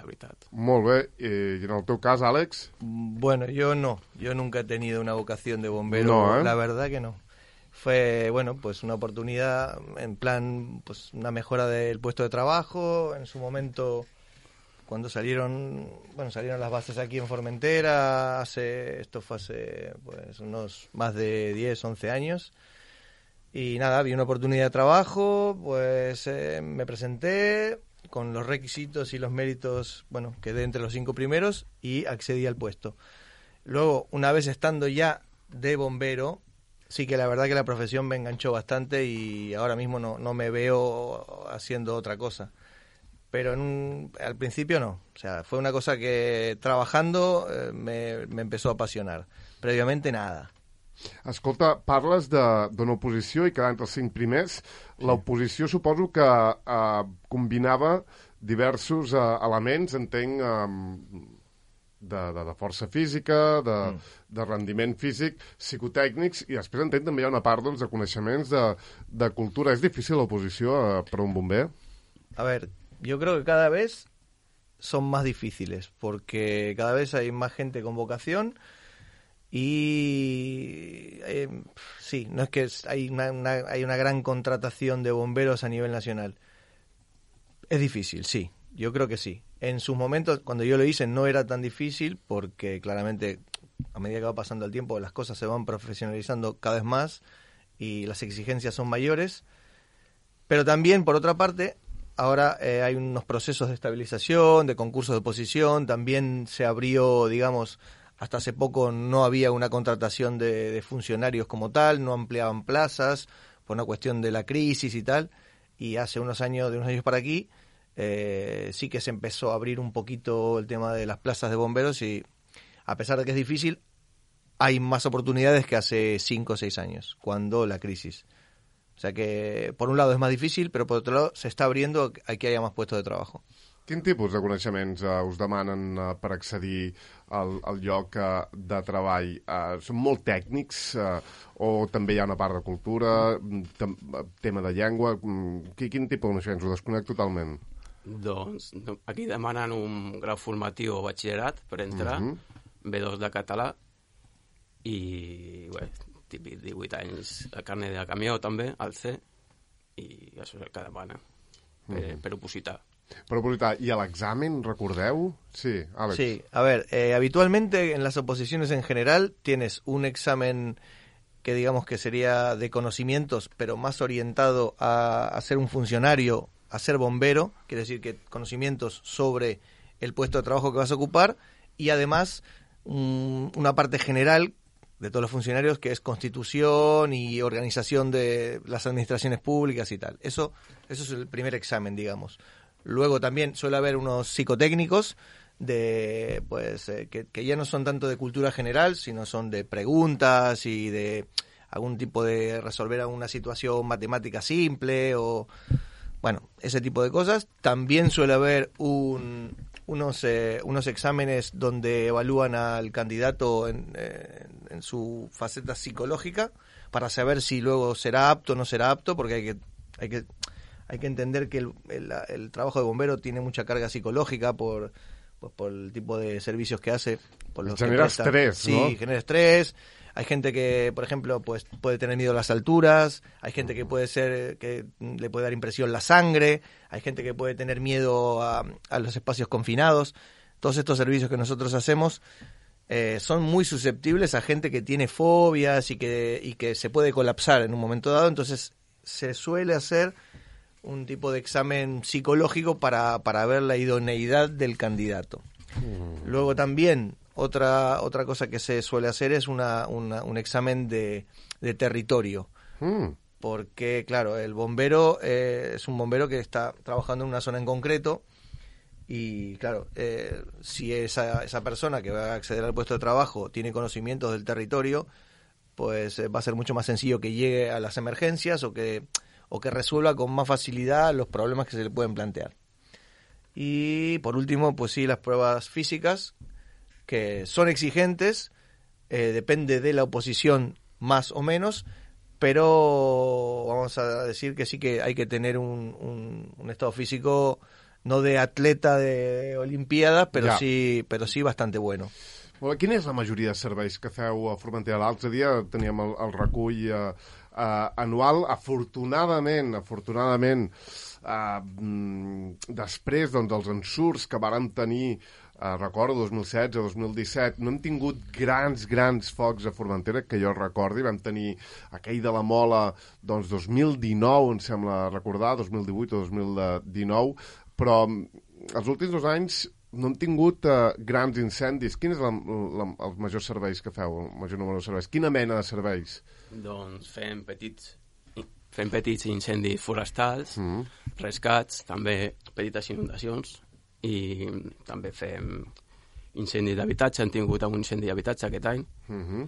veritat. Molt bé. I en el teu cas, Àlex? Bueno, yo no. Yo nunca he tenido una vocación de bombero. No, ¿eh? La verdad que no. Fue, bueno, pues una oportunidad, en plan, pues una mejora del puesto de trabajo. En su momento, cuando salieron las bases aquí en Formentera, esto fue hace pues unos más de 10, 11 años. Y nada, vi una oportunidad de trabajo, pues me presenté con los requisitos y los méritos, bueno, quedé entre los 5 primeros y accedí al puesto. Luego, una vez estando ya de bombero, sí que la verdad que la profesión me enganchó bastante y ahora mismo no me veo haciendo otra cosa. Pero al principio no, o sea, fue una cosa que trabajando me empezó a apasionar. Previamente nada. Escolta, parles d'una oposició i quedar entre els 5 primers. L'oposició suposo que combinava diversos elements, entenc, de força física, de rendiment físic, psicotècnics, i després entenc també hi ha una part doncs, de coneixements de cultura. És difícil l'oposició per a un bomber? A ver, yo creo que cada vez son más difíciles, porque cada vez hay más gente con vocación. Y sí, no es que hay una gran contratación de bomberos a nivel nacional. Es difícil, sí, yo creo que sí. En sus momentos, cuando yo lo hice, no era tan difícil porque claramente a medida que va pasando el tiempo las cosas se van profesionalizando cada vez más y las exigencias son mayores. Pero también, por otra parte, ahora hay unos procesos de estabilización, de concursos de oposición, también se abrió, digamos... Hasta hace poco no había una contratación de funcionarios como tal, no ampliaban plazas por una cuestión de la crisis y tal. Y hace unos años para aquí, sí que se empezó a abrir un poquito el tema de las plazas de bomberos y a pesar de que es difícil, hay más oportunidades que hace 5 o 6 años, cuando la crisis. O sea que por un lado es más difícil, pero por otro lado se está abriendo a que haya más puestos de trabajo. Quin tipus de coneixements us demanen per accedir al lloc de treball? Són molt tècnics o també hi ha una part de cultura, tema de llengua? Quin tipus de coneixements? Ho desconec totalment. Doncs aquí demanen un grau formatiu o batxillerat per entrar, B2 de català i bé, típic 18 anys de carnet de camió també, al C, i això és el que demana per opositar. Per opositar. ¿Y al examen, recordeu? Sí, Àlex. Sí, a ver, habitualmente en las oposiciones en general tienes un examen que digamos que sería de conocimientos, pero más orientado a ser un funcionario, a ser bombero, quiere decir que conocimientos sobre el puesto de trabajo que vas a ocupar y además una parte general de todos los funcionarios que es constitución y organización de las administraciones públicas y tal. Eso es el primer examen, digamos. Luego también suele haber unos psicotécnicos de pues que ya no son tanto de cultura general, sino son de preguntas y de algún tipo de resolver alguna situación matemática simple o bueno, ese tipo de cosas. También suele haber unos exámenes donde evalúan al candidato en su faceta psicológica para saber si luego será apto o no será apto, porque hay que entender que el trabajo de bombero tiene mucha carga psicológica por el tipo de servicios que hace. Por los genera estrés, ¿no? Sí, genera estrés. Hay gente que, por ejemplo, pues puede tener miedo a las alturas. Hay gente que que le puede dar impresión la sangre. Hay gente que puede tener miedo a los espacios confinados. Todos estos servicios que nosotros hacemos son muy susceptibles a gente que tiene fobias y que se puede colapsar en un momento dado. Entonces se suele hacer un tipo de examen psicológico para ver la idoneidad del candidato. Luego también otra cosa que se suele hacer es un examen de territorio. Porque, claro, el bombero es un bombero que está trabajando en una zona en concreto y, claro, si esa persona que va a acceder al puesto de trabajo tiene conocimientos del territorio, pues va a ser mucho más sencillo que llegue a las emergencias o que resuelva con más facilidad los problemas que se le pueden plantear. Y por último, pues sí, las pruebas físicas, que son exigentes, depende de la oposición más o menos, pero vamos a decir que sí que hay que tener un estado físico no de atleta de Olimpiadas, pero Ja. sí bastante bueno. Quina és la majoria de serveis que feu a Formentera? L'altre dia teníem el recull anual. Afortunadament, després dels ensurts que vàrem tenir, recordo, 2016-2017, no hem tingut grans focs a Formentera, que jo recordi. Vam tenir aquell de la Mola, 2019, em sembla recordar, 2018 o 2019, però els últims 2 anys no hem tingut grans incendis. Quin és els majors serveis que feu, el major número de serveis? Quina mena de serveis? Doncs fem petits incendis forestals, rescats, també petites inundacions, i també fem incendis d'habitatge. Hem tingut un incendi d'habitatge aquest any.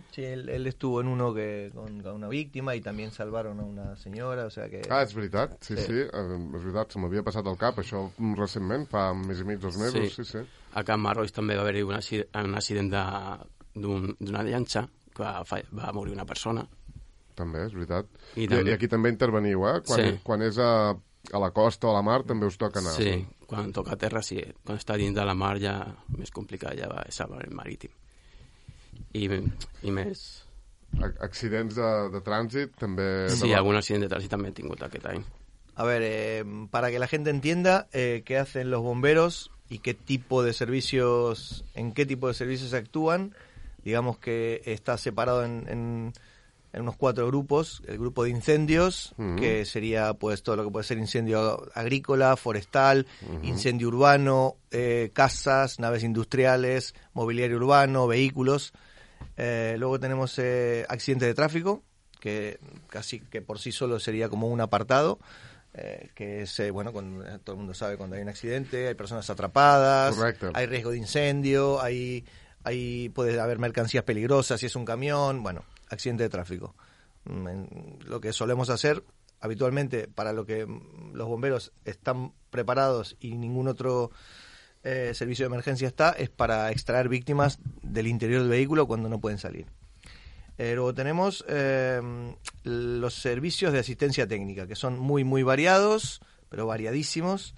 Sí, él estuvo en uno con una víctima y también salvaron a una señora, o sea que... És veritat, sí. És veritat, se m'havia passat el cap, això recentment, fa un mes i mig, 2 mesos, sí. A Can Marroix també va haver-hi un accident d'una llanxa, que va morir una persona. També, és veritat. I aquí també interveniu, Quan és a la costa o a la mar també us toca anar. Sí, quan toca a terra sí. Quan està dins de la mar ja més complicat, ja va ser el marítim. I més... Accidents de trànsit també... Sí, algun accident de trànsit també he tingut aquest any. A ver, para que la gente entienda qué hacen los bomberos y en qué tipo de servicios actúan, digamos que está separado en unos 4 grupos. El grupo de incendios, que sería pues todo lo que puede ser incendio agrícola, forestal, incendio urbano, casas, naves industriales, mobiliario urbano, vehículos. Luego tenemos accidentes de tráfico, que casi que por sí solo sería como un apartado, que es, cuando, todo el mundo sabe cuando hay un accidente, hay personas atrapadas, correcto, hay riesgo de incendio, puede haber mercancías peligrosas si es un camión, accidente de tráfico. Lo que solemos hacer habitualmente, para lo que los bomberos están preparados y ningún otro servicio de emergencia es para extraer víctimas del interior del vehículo cuando no pueden salir. Luego tenemos los servicios de asistencia técnica, que son muy variados, pero variadísimos,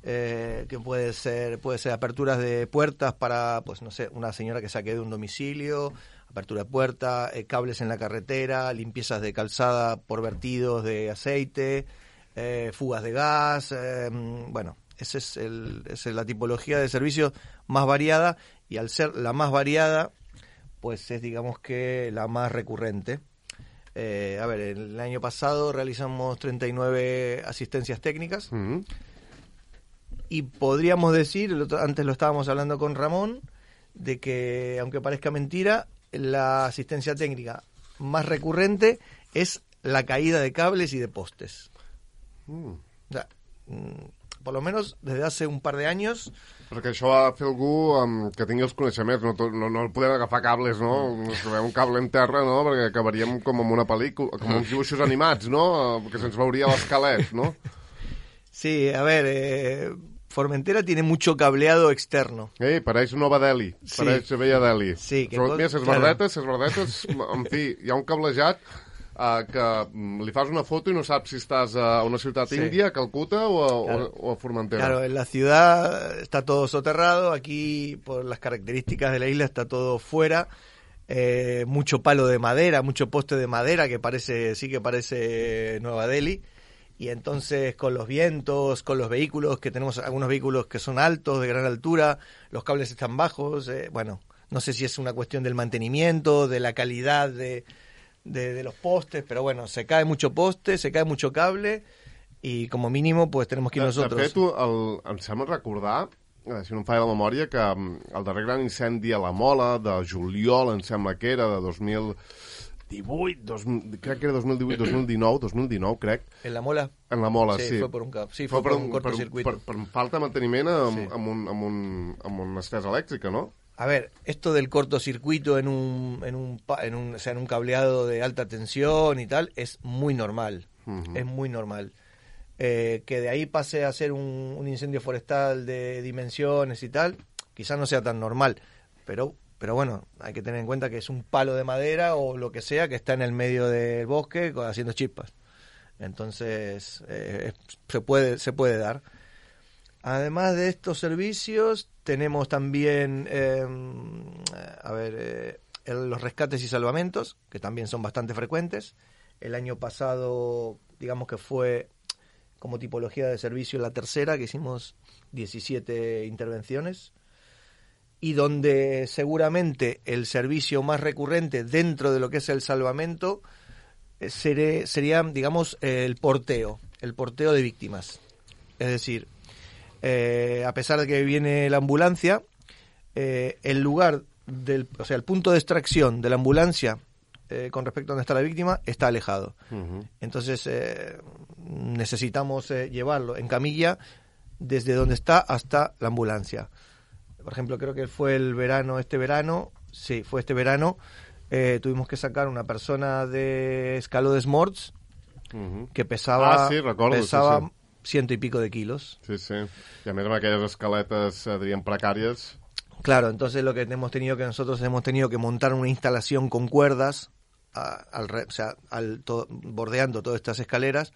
que puede ser aperturas de puertas para, una señora que saque de un domicilio, apertura de puerta, cables en la carretera, limpiezas de calzada por vertidos de aceite, fugas de gas, esa es la tipología de servicios más variada, y al ser la más variada, pues es, digamos, que la más recurrente. El año pasado realizamos 39 asistencias técnicas, y podríamos decir, antes lo estábamos hablando con Ramón, de que, aunque parezca mentira, la asistencia técnica más recurrente es la caída de cables y de postes. O sea, por lo menos desde hace un par de años. Perquè això ha de fer algú que tingui els coneixements, no podem agafar cables, no? Ens trobem un cable en terra, no? Perquè acabaríem com en una pel·lícula, com uns dibuixos animats, no? Perquè se'ns veuria l'esquelet, no? Sí, a ver, Formentera tiene mucho cableado externo. Pareix Nova Delhi, pareix Vella Delhi. Sí, mira, ses verdetes, en fi, hi ha un cablejat que li fas una foto y no sabes si estás a una ciudad india, Calcuta o a Formentera. Claro, en la ciudad está todo soterrado, aquí por las características de la isla está todo fuera, mucho palo de madera, mucho poste de madera que parece Nueva Delhi. Y entonces con los vientos, con los vehículos, que tenemos algunos vehículos que son altos, de gran altura, los cables están bajos, no sé si es una cuestión del mantenimiento, de la calidad de los postes, pero se cae mucho poste, se cae mucho cable, y como mínimo pues tenemos que ir nosotros. De fet, em sembla recordar, si no em falla la memòria, que el darrer gran incendi a la Mola, de juliol, em sembla que era, de crec que era 2019, crec. ¿En la Mola? En la Mola, sí. Fue por un cortocircuito. Per falta de manteniment amb una estesa elèctrica, no? A ver, esto del cortocircuito en un cableado de alta tensión y tal es muy normal. Es muy normal. Que de ahí pase a ser un incendio forestal de dimensiones y tal, quizás no sea tan normal, pero hay que tener en cuenta que es un palo de madera o lo que sea que está en el medio del bosque haciendo chispas. Entonces se puede dar. Además de estos servicios, tenemos también los rescates y salvamentos, que también son bastante frecuentes. El año pasado, digamos que fue como tipología de servicio la tercera, que hicimos 17 intervenciones, y donde seguramente el servicio más recurrente dentro de lo que es el salvamento sería, digamos, el porteo de víctimas. Es decir, a pesar de que viene la ambulancia, el lugar el punto de extracción de la ambulancia con respecto a donde está la víctima está alejado. Uh-huh. Entonces necesitamos llevarlo en camilla desde donde está hasta la ambulancia. Por ejemplo, creo que fue este verano, tuvimos que sacar una persona de Escaló des Morts uh-huh. que pesaba 100 y pico de kilos. Sí, sí. I a més amb aquelles escaletes, diríem, precàries. Claro, entonces nosotros hemos tenido que montar una instalación con cuerdas bordeando todas estas escaleras,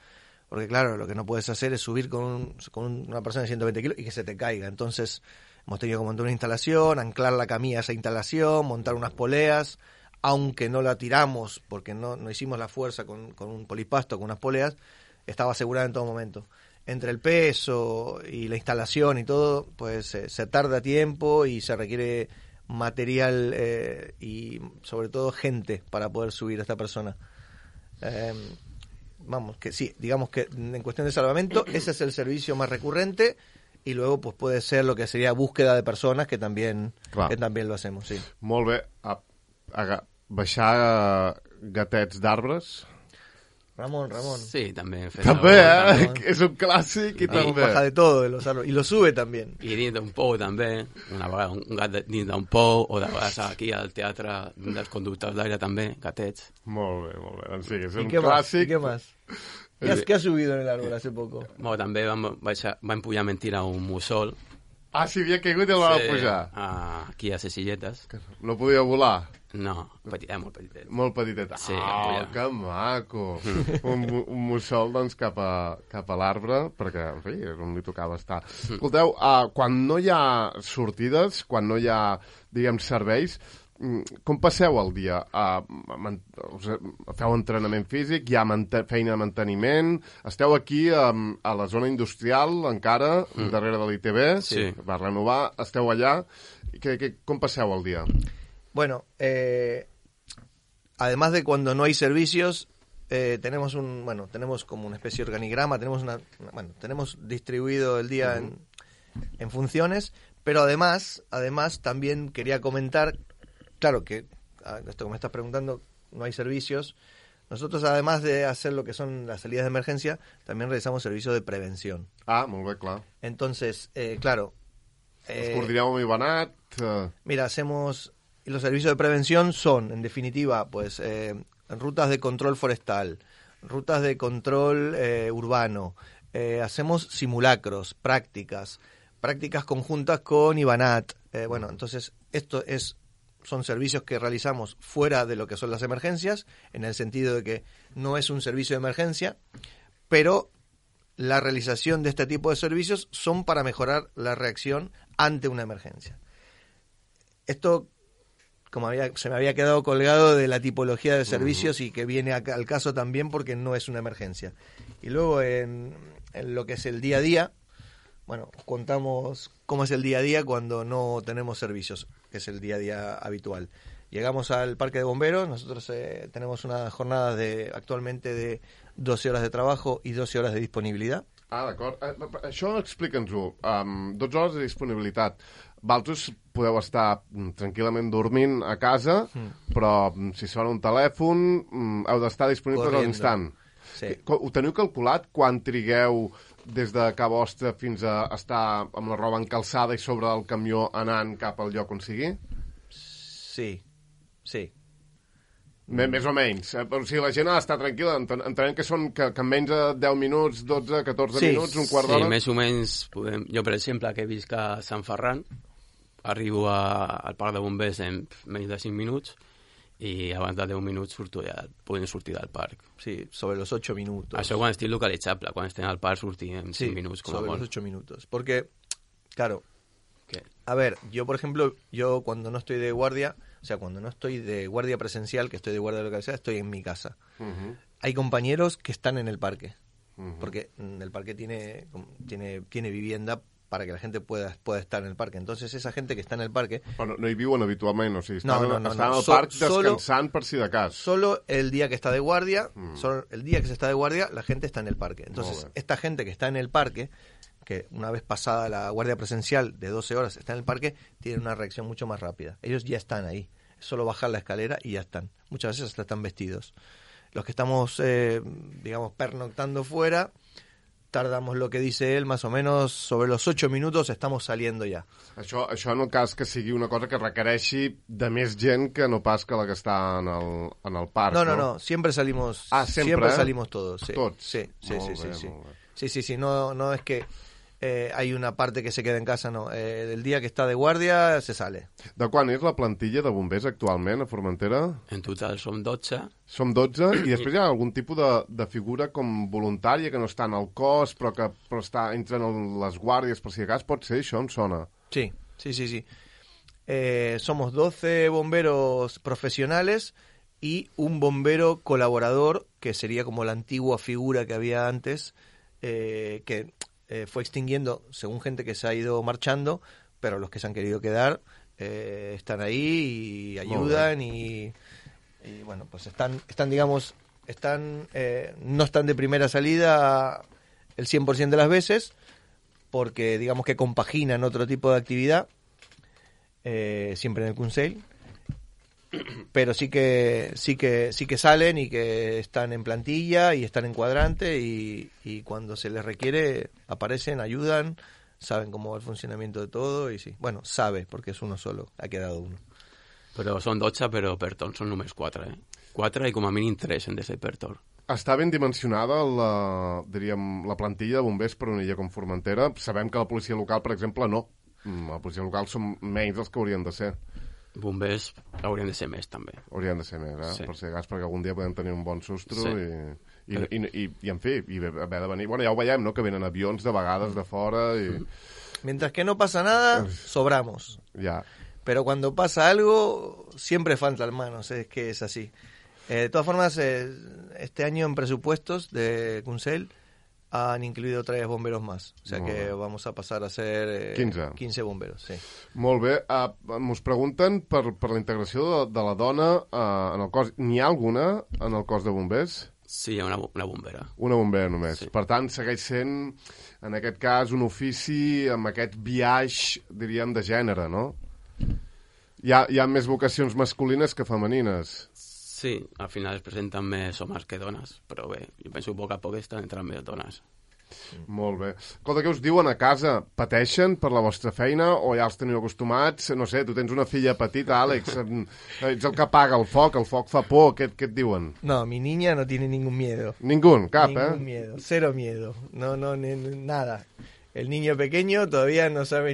porque claro, lo que no puedes hacer es subir con una persona de 120 kilos y que se te caiga. Entonces hemos tenido que montar una instalación, anclar la camilla a esa instalación, montar unas poleas, aunque no la tiramos porque no hicimos la fuerza con un polipasto, con unas poleas, estaba asegurada en todo momento. Entre el peso y la instalación y todo, pues se tarda tiempo y se requiere material y sobre todo gente para poder subir a esta persona. Que sí, digamos que en cuestión de salvamento ese es el servicio más recurrente, y luego pues puede ser lo que sería búsqueda de personas, que también lo hacemos, sí. Molt bé. Baixar gatets d'arbres... Ramón. Sí, también. També, és un clàssic i també. Baja de todo de los árboles, y lo sube también. I dins d'un pou també, una vegada un gat dins d'un pou, o de vegades aquí al teatre dels conductors d'aire també, gatets. Molt bé. Doncs sí, és un clàssic. ¿Y qué más? ¿Qué has subido en el árbol hace poco? Bueno, també vam pujar mentira a un mussol. Ah, si havia caigut i el va pujar. Aquí a Cecilletes. No podia volar? No, molt petitet. Molt petitet. Sí, que maco. un mussol, doncs, cap a l'arbre, perquè, en fi, és on li tocava estar. Escolteu, quan no hi ha sortides, quan no hi ha, diguem, serveis, com passeu el dia? Feu entrenament físic? Hi ha feina de manteniment? Esteu aquí a la zona industrial, encara, darrere de l'ITB, sí. Va renovar, esteu allà. Com passeu el dia? Bueno, además de cuando no hay servicios, tenemos como una especie de organigrama, tenemos distribuido el día en funciones, pero además también quería comentar, claro que esto que me estás preguntando, no hay servicios. Nosotros, además de hacer lo que son las salidas de emergencia, también realizamos servicios de prevención. Molt bé, clar. Entonces, claro. Us coordineu amb Ivanat? Mira, y los servicios de prevención son, en definitiva, pues rutas de control forestal, rutas de control urbano, hacemos simulacros, prácticas conjuntas con Ivanat. Entonces, son servicios que realizamos fuera de lo que son las emergencias, en el sentido de que no es un servicio de emergencia, pero la realización de este tipo de servicios son para mejorar la reacción ante una emergencia. Esto, como se me había quedado colgado de la tipología de servicios y que viene al caso también porque no es una emergencia. Y luego en lo que es el día a día, contamos cómo es el día a día cuando no tenemos servicios, que es el día a día habitual. Llegamos al parque de bomberos, nosotros tenemos una jornada actualmente de 12 horas de trabajo y 12 horas de disponibilitat. D'acord. Això explica'ns-ho. 12 hores de disponibilitat. Vosaltres podeu estar tranquil·lament dormint a casa, però si sona un telèfon heu d'estar disponibles a l'instant. Sí. Ho teniu calculat quan trigueu des de Ca Vostra fins a estar amb la roba encalçada i sobre el camió anant cap al lloc on sigui? Sí. Més o menys. O sigui, la gent ha d'estar tranquil·la. Entenem que són que en menys de 10 minuts, 12, 14 minuts, un quart d'hora. Sí, més o menys. Jo, per exemple, que visc a Sant Ferran, arribo al parc de bombers en menys de 5 minuts i abans de 10 minuts podem sortir del parc. Sí, sobre los 8 minutos. Això quan estic localitzable, quan estem al parc sortim en 5 minuts com a sobre molt. los 8 minutos. Porque, claro, ¿Qué? a ver, yo por ejemplo, yo cuando no estoy de guardia, o sea, cuando no estoy de guardia presencial, que estoy de guardia localizada, estoy en mi casa. Hay compañeros que están en el parque, porque el parque tiene vivienda para que la gente pueda estar en el parque. Entonces, esa gente que está en el parque... Però no hi viuen habitualment, o sigui, estan No. al parc descansant per si de cas. Solo el día que está de guardia, solo el día que se está de guardia, la gente está en el parque. Entonces, esta gente que está en el parque, que una vez pasada la guardia presencial de 12 horas está en el parque, tiene una reacción mucho más rápida. Ellos ya están ahí. Es solo bajar la escalera y ya están. Muchas veces hasta están vestidos. Los que estamos, digamos, pernoctando fuera... tardamos lo que dice él, más o menos sobre los 8 minutos estamos saliendo ya. Això en el cas que sigui una cosa que requereixi de més gent que no pas que la que està en el parc, no? No, siempre salimos, siempre salimos todos. Sí. Tots? Sí. Molt bé. Sí, no es que hay una parte que se queda en casa, no. El día que está de guardia se sale. De quan és la plantilla de bombers actualment a Formentera? En total som 12. Som 12 i després hi ha algun tipus de figura com voluntària que no està en el cos però entra en les guàrdies per si de cas. Pot ser això? Em sona. Sí. Somos 12 bomberos profesionales y un bombero colaborador que sería como la antigua figura que había antes, que fue extinguiendo según gente que se ha ido marchando, pero los que se han querido quedar están ahí y ayudan y bueno, pues están digamos, no están de primera salida el 100% de las veces, porque digamos que compaginan otro tipo de actividad, siempre en el Consell, pero sí que salen y que están en plantilla y están en cuadrante y cuando se les requiere aparecen, ayudan, saben cómo va el funcionamiento de todo y sí, bueno, porque es uno solo, ha quedado uno. Però són 12, però per torn són només 4, 4 i com a mínim 3 han de ser per torn. Està ben dimensionada la plantilla de bombers per una illa com Formentera. Sabem que la policia local, per exemple, no. La policia local són menys dels que haurien de ser. Bombers haurien de ser més, també. Haurien de ser més, Sí. Per si de cas, perquè algun dia podem tenir un bon sustro Sí. i en fi, haver de venir... Bueno, ja ho veiem, no?, que venen avions de vegades de fora i... Mientras que no pasa nada, sobramos. Ja. Pero cuando pasa algo, siempre faltan manos, es que es así. De todas formas, este año en presupuestos de Consell han incluido 3 bomberos más. O sea que vamos a pasar a ser 15 bomberos, sí. Molt bé. Mos pregunten per la integració de la dona en el cos. N'hi ha alguna en el cos de bombers? Sí, hi ha una bombera. Una bombera només. Sí. Per tant, segueix sent, en aquest cas, un ofici amb aquest biaix, diríem, de gènere, no? Hi ha més vocacions masculines que femenines. Sí, al final es presenten més homes que dones, però bé, jo penso que a poc a poc estan entrant més dones. Molt bé. Escolta, què us diuen a casa? Pateixen per la vostra feina o ja els teniu acostumats? No sé, tu tens una filla petita, Àlex, ets el que apaga el foc fa por, què et diuen? No, mi niña no tiene ningún miedo. Ningún, cap, Ningún miedo, cero miedo, no, nada. El niño pequeño todavía no sabe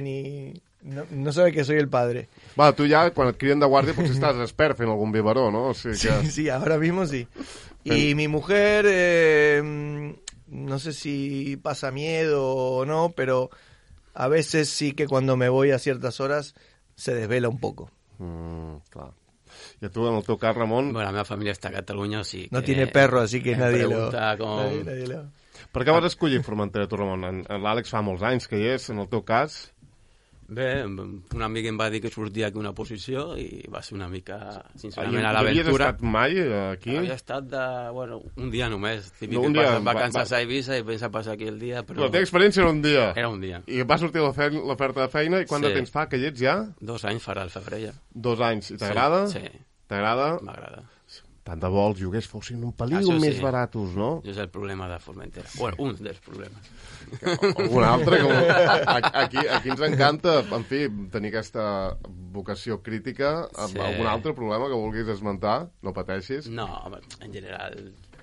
no sabe que soy el padre. Va, tu ja, quan et criden de guàrdia, potser estàs expert fent algun biberó, no? O sigui que... Sí, ahora mismo sí. Y mi mujer, no sé si pasa miedo o no, pero a veces sí que cuando me voy a ciertas horas se desvela un poco. Clar. I a tu, en el teu cas, Ramon... Bueno, la meva família està a Catalunya, o sigui que... No tiene perro, así que nadie lo... Nadie lo... Per què vas escollir Formentera, tu, Ramon? L'Àlex fa molts anys que hi és, en el teu cas... Bé, un amic em va dir que sortia aquí una posició i va ser una mica, sincerament, a Havies l'aventura. estat mai aquí? Havia estat un dia només. Típic Un que dia, passes vacances a Eivissa i pensa passar aquí el dia, però... La teva experiència era un dia. Era un dia. I va sortir l'oferta de feina i quant de temps fa que hi ets ja? 2 anys farà el febrer ja. 2 anys. I t'agrada? Sí. T'agrada? M'agrada. Tant de bo els lloguers fossin un pelín Això sí. més baratos, no? Això és el problema de Formentera. Bueno, un dels problemes. Un altre, aquí ens encanta, en fi, tenir aquesta vocació crítica. Sí. Algun altre problema que vulguis esmentar? No pateixis. No, home, en general,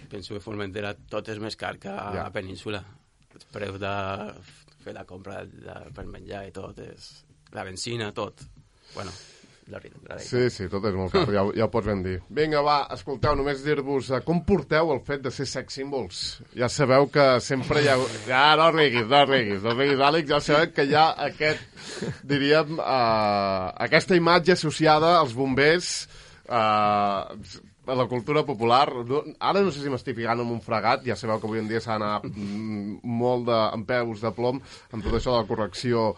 penso que Formentera tot és més car que a la península. Els preus de fer la compra per menjar i tot, és la benzina, tot. Bueno, la realitat. Sí, tot és molt car, ja ho pots ben dir. Vinga, va, escolteu, només dir-vos com porteu el fet de ser sex symbols. Ja sabeu que sempre hi ha... Ja, no riguis, Àlex, ja sabeu que hi ha diríem, aquesta imatge associada als bombers a la cultura popular. Ara no sé si m'estic ficant en un fregat, ja sabeu que avui en dia s'ha d'anar molt amb peus de plom amb tot això de la correcció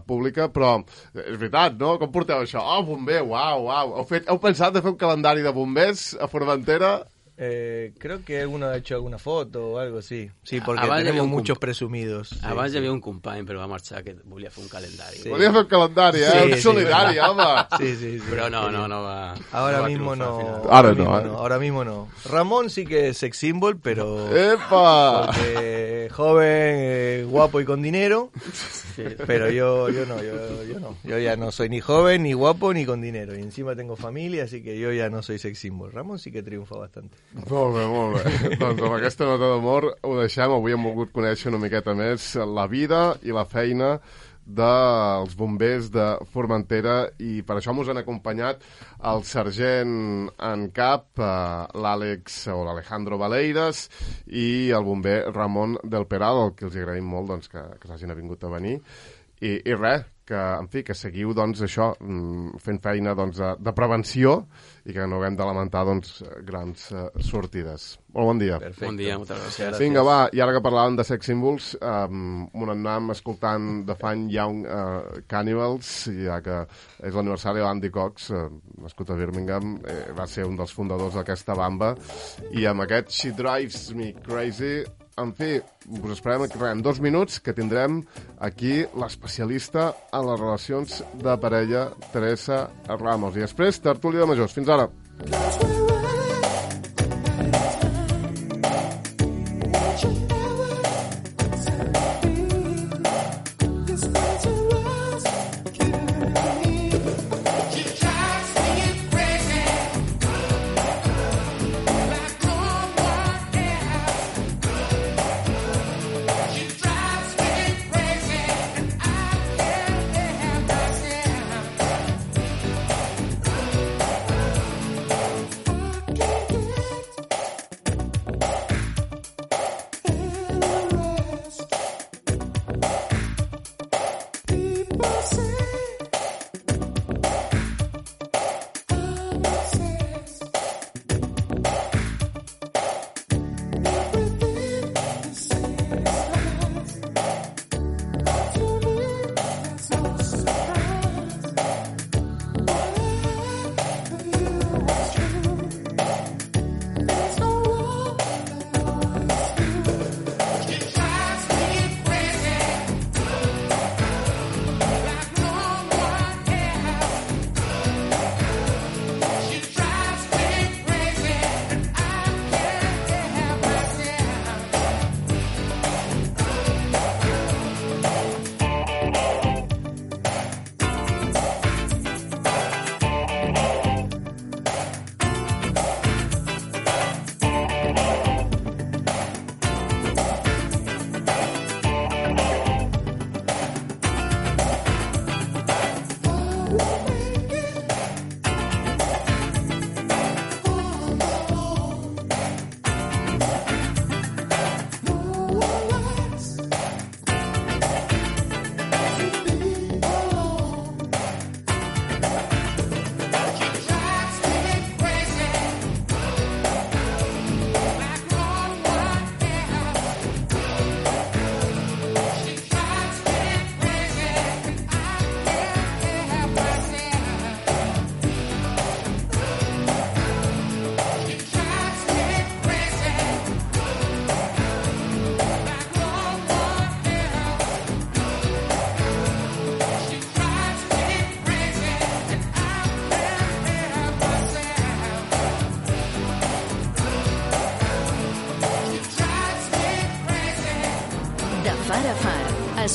pública, però és veritat, no? Com porteu això? Oh, bomber, uau. Heu pensat de fer un calendari de bombers a Formentera? Creo que alguno ha hecho alguna foto o algo así. Sí, porque tenemos muchos presumidos. Abans hi havia un company, però va marxar, que volia fer un calendari. Sí. Volia fer un calendari, un solidari, home. Sí. Però no va... Ahora mismo no. Ahora mismo no. Ramón sí que es sex symbol, pero... ¡Epa! Porque joven, guapo y con dinero. Sí. Pero yo no. Yo ya no soy ni joven, ni guapo, ni con dinero. Y encima tengo familia, así que yo ya no soy sex symbol. Ramón sí que triunfa bastante. Molt bé. Doncs amb aquesta nota d'amor ho deixem. Avui hem volgut conèixer una miqueta més la vida i la feina dels bombers de Formentera, i per això ens han acompanyat el sergent en cap, l'Àlex o l'Alejandro Valeiras, i el bomber Ramon del Peral, al que els agraïm molt doncs, que s'hagin avingut a venir. I res, que seguiu doncs, això, fent feina doncs, de prevenció i que no haguem de lamentar doncs, grans sortides. Molt bon dia. Perfecte. Bon dia, moltes gràcies. Vinga, va, i ara que parlàvem de sex symbols, on anàvem escoltant The Fine Young Cannibals, ja que és l'aniversari d'Andy Cox, nascut a Birmingham, va ser un dels fundadors d'aquesta banda, i amb aquest She Drives Me Crazy. En fi, us esperem en 2 minuts, que tindrem aquí l'especialista en les relacions de parella, Teresa Ramos. I després, tertúlia de majors. Fins ara.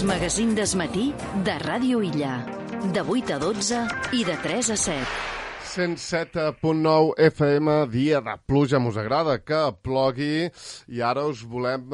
El magazín d'esmatí de Ràdio Illa. De 8 a 12 i de 3 a 7. 107.9 FM, dia de pluja, mos agrada que plogui, i ara us volem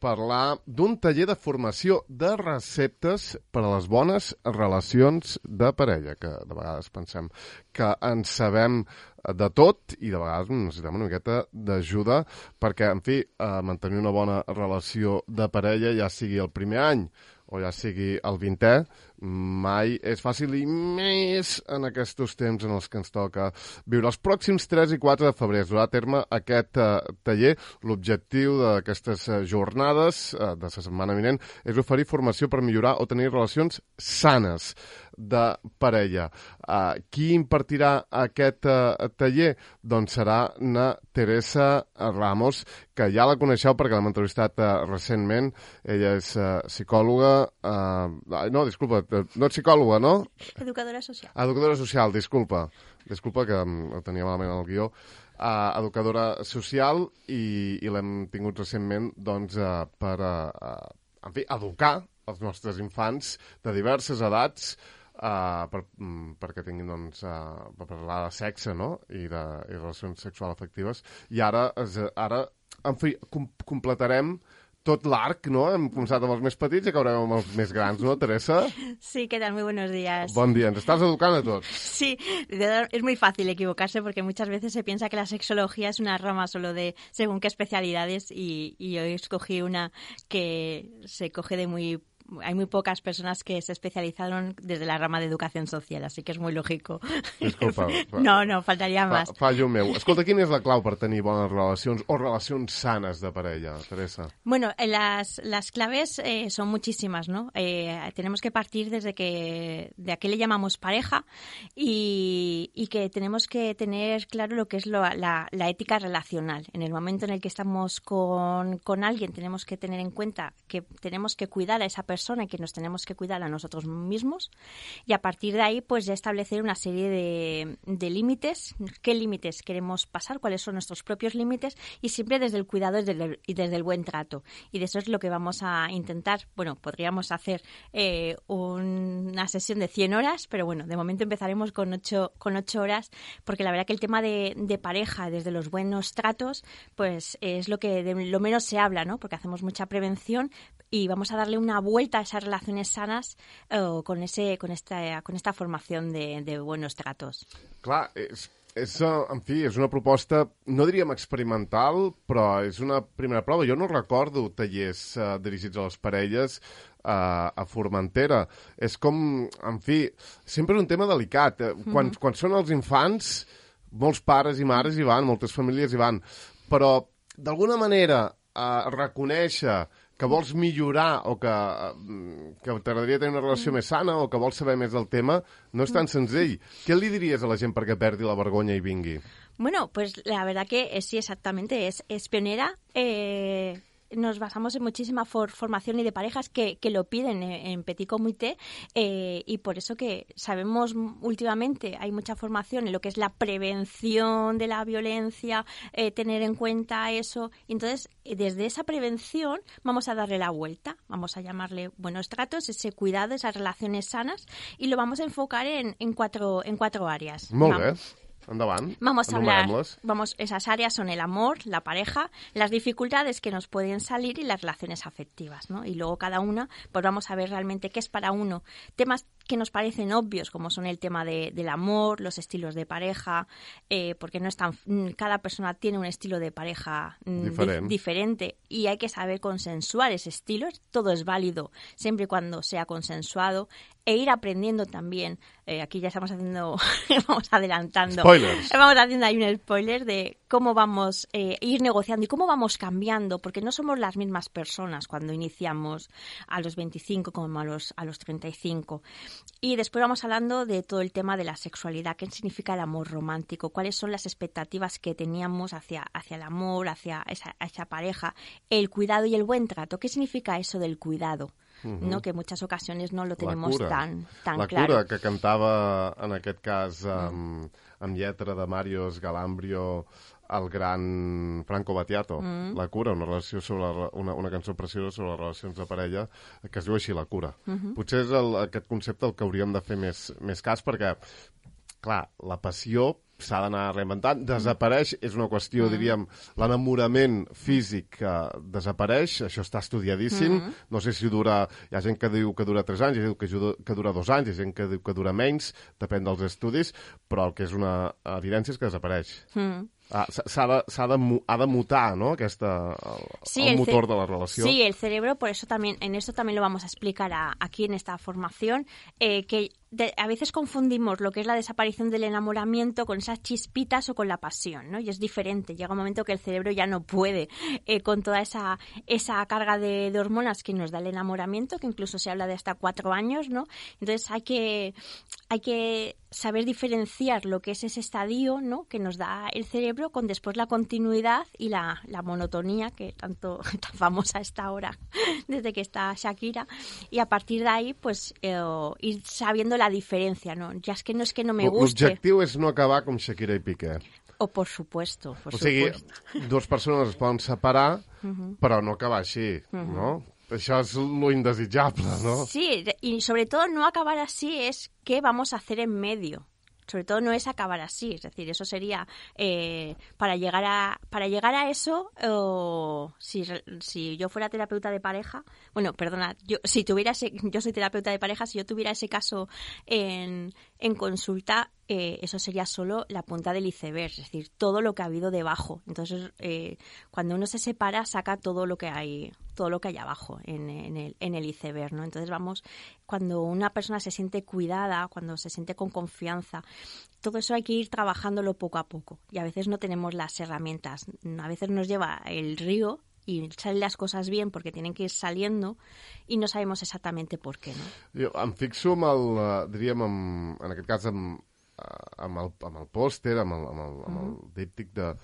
parlar d'un taller de formació de receptes per a les bones relacions de parella, que de vegades pensem que en sabem de tot i de vegades necessitem una miqueta d'ajuda perquè, en fi, mantenir una bona relació de parella, ja sigui el primer any o ja sigui el 20è, mai és fàcil, i més en aquests temps en els que ens toca viure. Els pròxims 3 i 4 de febrer es durà a terme aquest taller. L'objectiu d'aquestes jornades de la setmana vinent és oferir formació per millorar o tenir relacions sanes de parella. Qui impartirà aquest taller? Doncs serà na Teresa Ramos, que ja la coneixeu perquè l'hem entrevistat recentment. Ella és psicòloga... no, disculpa, no ets psicòloga, no? Educadora social. Educadora social, disculpa. Disculpa que ho tenia malament el guió. Educadora social, i l'hem tingut recentment doncs, per en fi, educar els nostres infants de diverses edats perquè tinguin doncs, per parlar de sexe, no? I de relacions sexuals afectives. I ara en fi, completarem tot l'arc, ¿no? Hem començat amb els més petits i acabarem amb els més grans, ¿no, Teresa? Sí, ¿qué tal? Muy buenos días. Bon dia, ens estàs educant a tots. Sí, es muy fácil equivocarse porque muchas veces se piensa que la sexología es una rama solo de según qué especialidades y hoy escogí una que se coge de muy... Hay muy pocas personas que se especializaron desde la rama de educación social, así que es muy lógico. Disculpa. No, faltaria más. Fallo meu. Escolta, quina és la clau per tenir bones relacions o relacions sanes de parella, Teresa? Bueno, las claves son muchísimas, ¿no? Tenemos que partir de a qué le llamamos pareja y que tenemos que tener claro lo que es la ética relacional. En el momento en el que estamos con alguien tenemos que tener en cuenta que tenemos que cuidar a esa persona y que nos tenemos que cuidar a nosotros mismos, y a partir de ahí pues ya establecer una serie de límites, qué límites queremos pasar, cuáles son nuestros propios límites, y siempre desde el cuidado y desde el buen trato. Y de eso es lo que vamos a intentar. Bueno, podríamos hacer una sesión de 100 horas, pero bueno, de momento empezaremos con 8 horas, porque la verdad que el tema de pareja desde los buenos tratos pues es lo que de lo menos se habla, ¿no? Porque hacemos mucha prevención y vamos a darle una vuelta a esas relaciones sanas con esta formación de buenos tratos. Clar, en fi, és una proposta, no diríem experimental, però és una primera prova. Jo no recordo tallers dirigits a les parelles a Formentera. És com, en fi, sempre és un tema delicat. Quan són els infants, molts pares i mares hi van, moltes famílies hi van, però d'alguna manera reconèixer que vols millorar o que t'agradaria tenir una relació més sana o que vols saber més del tema, no és tan senzill. Què li diries a la gent perquè perdi la vergonya i vingui? Bueno, pues la verdad que sí, exactamente, es pionera. Nos basamos en muchísima formación y de parejas que lo piden en Petit Comité, y por eso que sabemos últimamente hay mucha formación en lo que es la prevención de la violencia, tener en cuenta eso. Y entonces, desde esa prevención vamos a darle la vuelta, vamos a llamarle buenos tratos, ese cuidado, esas relaciones sanas, y lo vamos a enfocar en cuatro áreas. Molt bé. Endavant. Vamos a hablar, esas áreas son el amor, la pareja, las dificultades que nos pueden salir y las relaciones afectivas, ¿no? Y luego cada una, pues vamos a ver realmente qué es para uno. Temas que nos parecen obvios, como son el tema del amor, los estilos de pareja, porque no es tan, cada persona tiene un estilo de pareja diferente y hay que saber consensuar ese estilo. Todo es válido siempre y cuando sea consensuado, e ir aprendiendo también. Aquí ya estamos haciendo, vamos adelantando. Spoilers. Vamos haciendo ahí un spoiler de cómo vamos a ir negociando y cómo vamos cambiando, porque no somos las mismas personas cuando iniciamos a los 25 como a los 35. Y después vamos hablando de todo el tema de la sexualidad, qué significa el amor romántico, cuáles son las expectativas que teníamos hacia el amor, hacia esa pareja, el cuidado y el buen trato. ¿Qué significa eso del cuidado? No, que en muchas ocasiones no lo tenemos tan la claro. La cura, que cantava en aquest cas amb lletra de Marios Galambrio el gran Franco Battiato. La cura, una relació sobre una cançó preciosa sobre les relacions de parella que es diu així, La cura. Potser és aquest concepte el que hauríem de fer més cas, perquè clar, la passió s'ha d'anar reinventant, desapareix, és una qüestió, diríem, l'enamorament físic desapareix, això està estudiadíssim, no sé si dura, hi ha gent que diu que dura 3 anys, hi ha gent que dura 2 anys, hi ha gent que diu que dura menys, depèn dels estudis, però el que és una evidència és que desapareix. Ha de mutar, ¿no? El motor de la relación. Sí, el cerebro, por eso también, en eso también lo vamos a explicar aquí en esta formación, que a veces confundimos lo que es la desaparición del enamoramiento con esas chispitas o con la pasión, ¿no? Y es diferente. Llega un momento que el cerebro ya no puede con toda esa carga de hormonas que nos da el enamoramiento, que incluso se habla de hasta 4 años, ¿no? Entonces hay que saber diferenciar lo que es ese estadio, ¿no?, que nos da el cerebro con después la continuidad y la monotonía, que tan famosa está ahora desde que está Shakira, y a partir de ahí pues ir sabiendo la diferencia, ¿no? Ya es que no me guste. L'objectiu és no acabar com Shakira i Piqué. Por supuesto, por supuesto. O sigui, 2 persones es poden separar, però no acabar així, no? Això és lo indesitjable, ¿no? Sí, y sobre todo no acabar así es qué vamos a hacer en medio. Sobre todo no es acabar así, es decir, eso sería para llegar a eso, si yo fuera terapeuta de pareja, bueno, perdona, yo soy terapeuta de pareja, si yo tuviera ese caso en consulta, eso sería solo la punta del iceberg, es decir, todo lo que ha habido debajo. Entonces, cuando uno se separa, saca todo lo que hay abajo en el iceberg, ¿no? Entonces cuando una persona se siente cuidada, cuando se siente con confianza, todo eso hay que ir trabajándolo poco a poco. Y a veces no tenemos las herramientas. A veces nos lleva el río y salen las cosas bien porque tienen que ir saliendo y no sabemos exactamente por qué, no? Jo em fixo en aquest cas, amb el pòster, amb el díptic de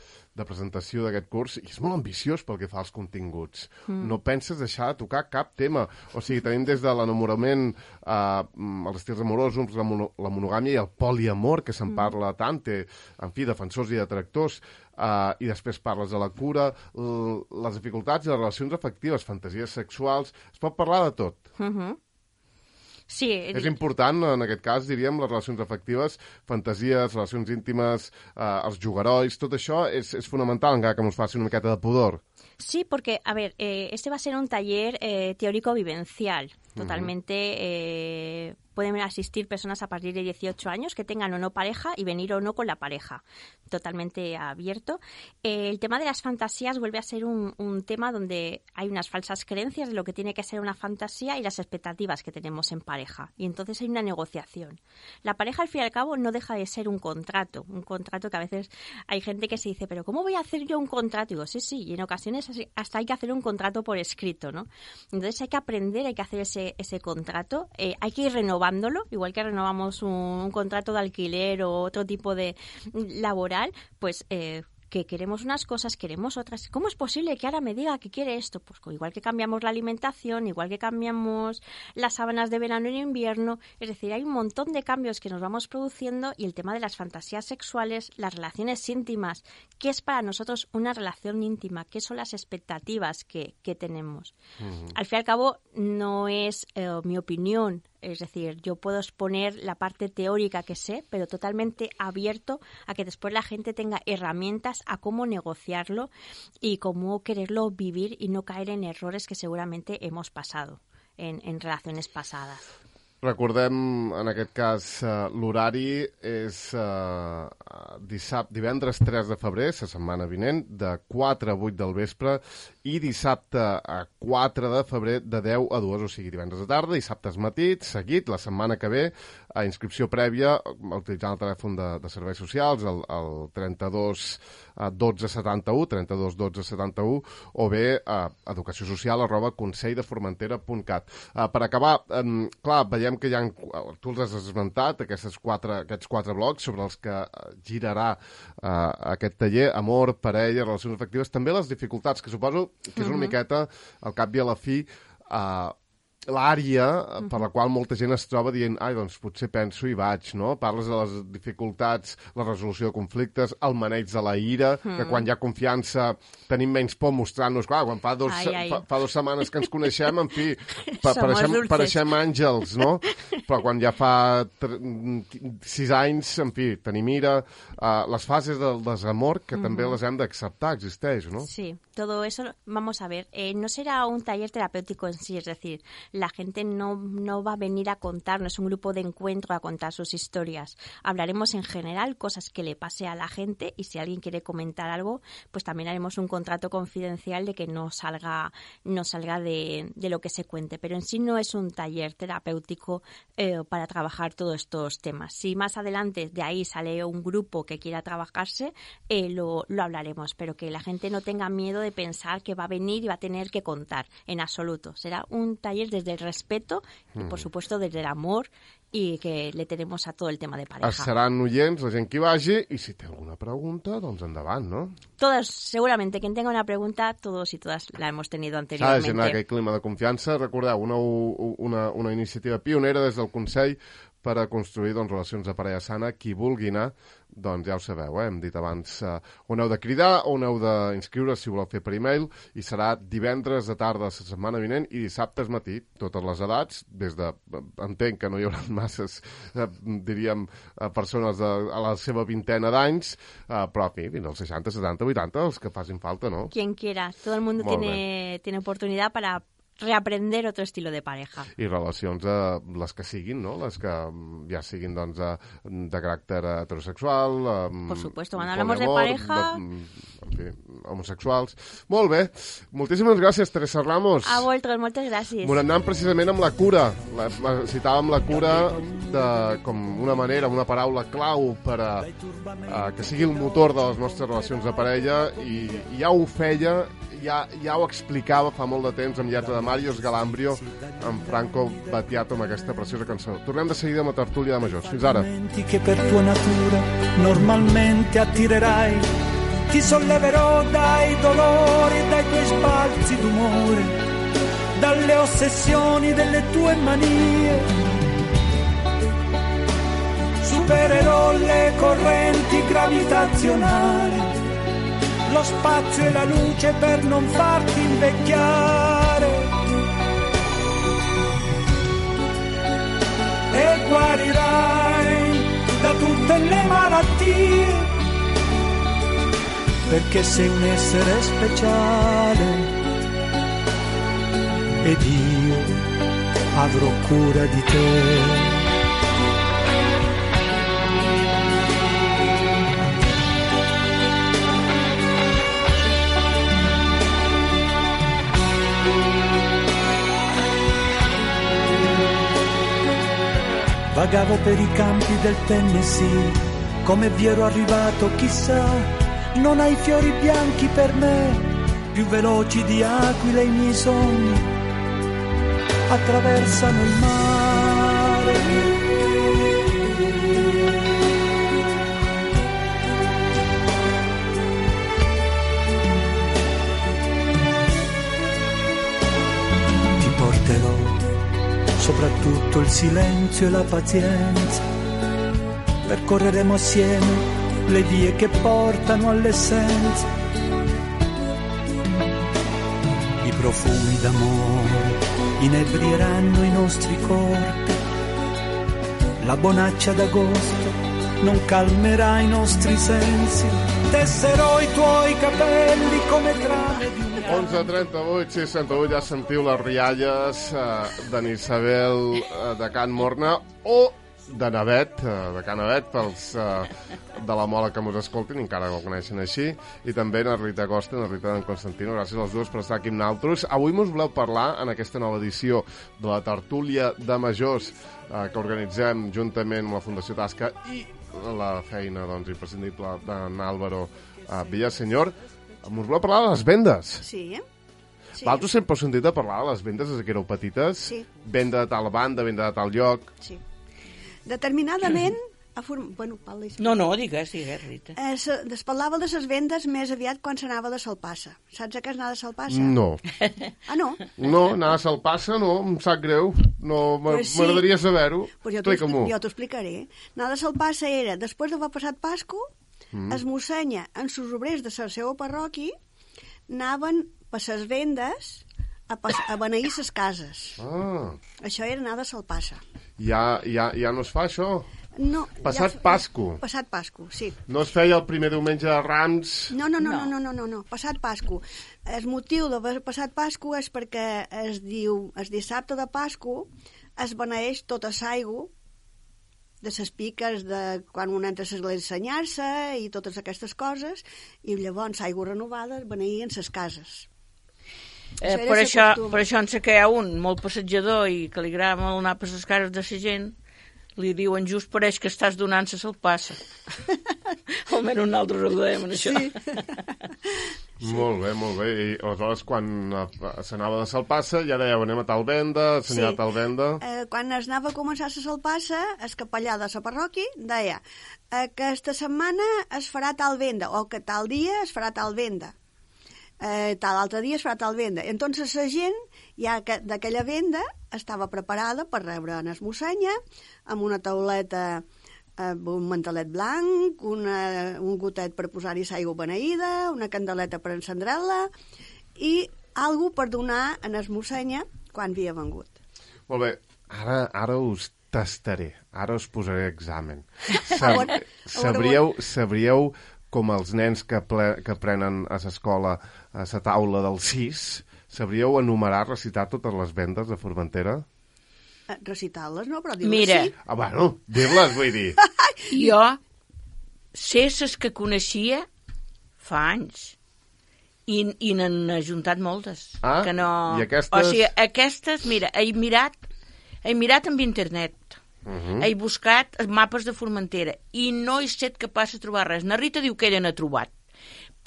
presentació d'aquest curs, i és molt ambiciós pel que fa als continguts. No penses deixar de tocar cap tema. O sigui, tenim des de l'enamorament, els estils amorosos, la monogàmia i el poliamor, que se'n parla tant, en fi, defensors i detractors, i després parles de la cura, les dificultats i les relacions afectives, fantasies sexuals, es pot parlar de tot. Sí. És important, en aquest cas, diríem, les relacions afectives, fantasies, relacions íntimes, els jugarois, tot això és fonamental, encara que ens faci una miqueta de pudor. Sí, porque, a ver, este va a ser un taller teórico-vivencial. Totalmente pueden asistir personas a partir de 18 años que tengan o no pareja y venir o no con la pareja. Totalmente abierto. El tema de las fantasías vuelve a ser un tema donde hay unas falsas creencias de lo que tiene que ser una fantasía y las expectativas que tenemos en pareja. Y entonces hay una negociación. La pareja, al fin y al cabo, no deja de ser un contrato que a veces hay gente que se dice, pero ¿cómo voy a hacer yo un contrato? Y digo, sí, y en ocasiones hasta hay que hacer un contrato por escrito, ¿no? Entonces hay que aprender, hay que hacer ese contrato, hay que ir renovándolo, igual que renovamos un contrato de alquiler o otro tipo de laboral, pues que queremos unas cosas, queremos otras. ¿Cómo es posible que ahora me diga que quiere esto? Pues igual que cambiamos la alimentación, igual que cambiamos las sábanas de verano en invierno, es decir, hay un montón de cambios que nos vamos produciendo y el tema de las fantasías sexuales, las relaciones íntimas, ¿qué es para nosotros una relación íntima? ¿Qué son las expectativas que tenemos? Al fin y al cabo, no es mi opinión. Es decir, yo puedo exponer la parte teórica que sé, pero totalmente abierto a que después la gente tenga herramientas a cómo negociarlo y cómo quererlo vivir y no caer en errores que seguramente hemos pasado en relaciones pasadas. Recordem, en aquest cas, l'horari és divendres 3 de febrer, la setmana vinent, de 4 a 8 del vespre, i dissabte a 4 de febrer de 10 a 2, o sigui, divendres de tarda, dissabtes matí, seguit, la setmana que ve, a inscripció prèvia, utilitzant el telèfon de serveis socials, el 32 12 71, 32 12 71, o bé educaciosocial@conselldeformentera.cat. Per acabar, clar, veiem que hi ha, tu els has esmentat, aquests quatre blocs sobre els que girarà aquest taller, amor, parella, relacions afectives, també les dificultats, que suposo que és una miqueta, al cap i a la fi, l'àrea per la qual molta gent es troba dient doncs potser penso i vaig, no? Parles de les dificultats, la resolució de conflictes, el maneig de la ira, que quan hi ha confiança tenim menys por mostrant-nos. Clar, quan fa 2 setmanes que ens coneixem, en fi, pareixem àngels, no? Però quan ja fa 6 anys, en fi, tenim ira. Les fases del desamor, que també les hem d'acceptar, existeix, ¿no? Sí, todo eso, vamos a ver, no será un taller terapéutico en sí, es decir, la gente no va a venir a contar, no es un grupo de encuentro a contar sus historias. Hablaremos en general cosas que le pase a la gente y si alguien quiere comentar algo, pues también haremos un contrato confidencial de que no salga de lo que se cuente. Pero en sí no es un taller terapéutico para trabajar todos estos temas. Si más adelante de ahí sale un grupo que quiera trabajarse, lo hablaremos, pero que la gente no tenga miedo de pensar que va a venir y va a tener que contar, en absoluto. Será un taller desde el respeto y, por supuesto, desde el amor i que le tenemos a tot el tema de pareja. Seran oients, la gent que hi vagi, i si té alguna pregunta, doncs endavant, no? Todos, seguramente, quien tenga una pregunta, todos y todas la hemos tenido anteriormente. S'ha de generar aquell clima de confiança. Recordeu, una iniciativa pionera des del Consell per a construir relacions de parella sana. Qui vulgui anar, doncs ja ho sabeu, hem dit abans, on heu de cridar, on heu d'inscriure si voleu fer per e-mail, i serà divendres de tarda la setmana vinent i dissabtes matí, totes les edats, des de, entenc que no hi haurà masses, diríem, persones a la seva vintena d'anys, però, en fi, fins als 60, 70, 80, els que facin falta, no? Quien quiera, todo el mundo tiene oportunidad para reaprender otro estilo de pareja. I relacions, les que siguin, no? Les que ja siguin, doncs, de caràcter heterosexual, por supuesto, cuando hablamos de pareja... En fi, homosexuals. Molt bé. Moltíssimes gràcies, Teresa Ramos. A vosaltres, moltes gràcies. Anant precisament amb la cura. Citàvem la cura com una manera, una paraula clau per a que sigui el motor de les nostres relacions de parella, i ja ho feia, ja ho explicava fa molt de temps amb lletra de Mario Sgalambrio, amb Franco Battiato, amb aquesta preciosa cançó. Tornem de seguida amb la tertúlia de majors. Fins ara. Che per tua natura normalmente attirerai, ti solleverò dai dolori, dai tuoi sbalzi d'umore, dalle ossessioni delle tue manie. Supererò le correnti gravitazionali, lo spazio e la luce per non farti invecchiare, e guarirai da tutte le malattie, perché sei un essere speciale ed io avrò cura di te. Vagavo per i campi del Tennessee, come vi ero arrivato chissà, non hai fiori bianchi per me, più veloci di aquile i miei sogni, attraversano il mare. Ti porterò soprattutto il silenzio e la pazienza, percorreremo assieme le vie che portano all'essenza, i profumi d'amore inebrieranno i nostri corpi, la bonaccia d'agosto non calmerà i nostri sensi, tesserò i tuoi capelli come trame di un... 11:38, 6:38, ja sentiu les rialles d'en Isabel de Can Morna o de Navet, de Can Navet, pels de la Mola que mos escoltin, encara no el coneixen així, i també na Rita Costa i na Rita d'en Constantino. Gràcies als dos per estar aquí amb nosaltres. Avui mos voleu parlar, en aquesta nova edició de la tertúlia de majors que organitzem juntament amb la Fundació Tasca i la feina imprescindible d'en Álvaro Villaseñor, mos voleu parlar de les vendes. Sí. Vosaltres sempre heu sentit a parlar de les vendes des que éreu petites? Sí. Venda de tal banda, venda de tal lloc... Sí. Determinadament, Bueno, parla. No, digues, Rita. Es parlava de les vendes més aviat quan s'anava de Salpassa. Saps a què és anar de Salpassa? No. Ah, no? No, anar a Salpassa no, em sap greu. No, Pues sí. m'agradaria saber-ho. Pues Explica-m'ho. jo t'ho explicaré. Anar de Salpassa era, després d'haver passat Pasco, es mossenya en sus obrers de la seva parròquia anaven per les vendes a beneir les cases. Ah, Això era anar de Salpassa. ja no es fa això? No, Passat Pasco. Passat Pasco, sí. No es feia el primer diumenge de Rams? No. Passat Pasco. El motiu d'haver passat Pasco és perquè es diu, el dissabte de Pasco es beneeix tota l'aigua de les piques de quan un entra a l'església a senyar-se i totes aquestes coses, i llavors aigua renovada es beneïen les cases. Per això en sé que hi ha un molt passejador i que li agrada molt anar per les cases de la gent, li diuen just pareix que estàs donant-se se'l passa. Almenys nosaltres ho dèiem en això. Sí. Molt bé. I aleshores, quan s'anava de Salpassa, ja dèieu, anem a tal venda, a tal venda... Quan es anava a començar la Salpassa, el capellà de la parròquia deia aquesta setmana es farà tal venda, o que tal dia es farà tal venda. Tal altre dia es farà tal venda. Entonces la gent ja d'aquella venda estava preparada per rebre en es mossenya amb una tauleta amb un mantelet blanc, un gotet per posar-hi l'aigua beneïda, una candeleta per encendrar-la i algú per donar en es mossenya quan havia vengut. Molt bé, ara us tastaré, ara us posaré examen. Sabríeu com els nens que aprenen a l'escola a la taula del 6, sabríeu enumerar, recitar totes les vendes de Formentera? Recitar-les, no? Però dir-les Mira, sí. Bueno, dir-les, vull dir. jo sé les que coneixia fa anys i n'han ajuntat moltes. Ah, que no... i aquestes? O sigui, aquestes, mira, he mirat amb internet, he buscat mapes de Formentera i no he estat capaç de trobar res. Na Rita diu que ella n'ha trobat,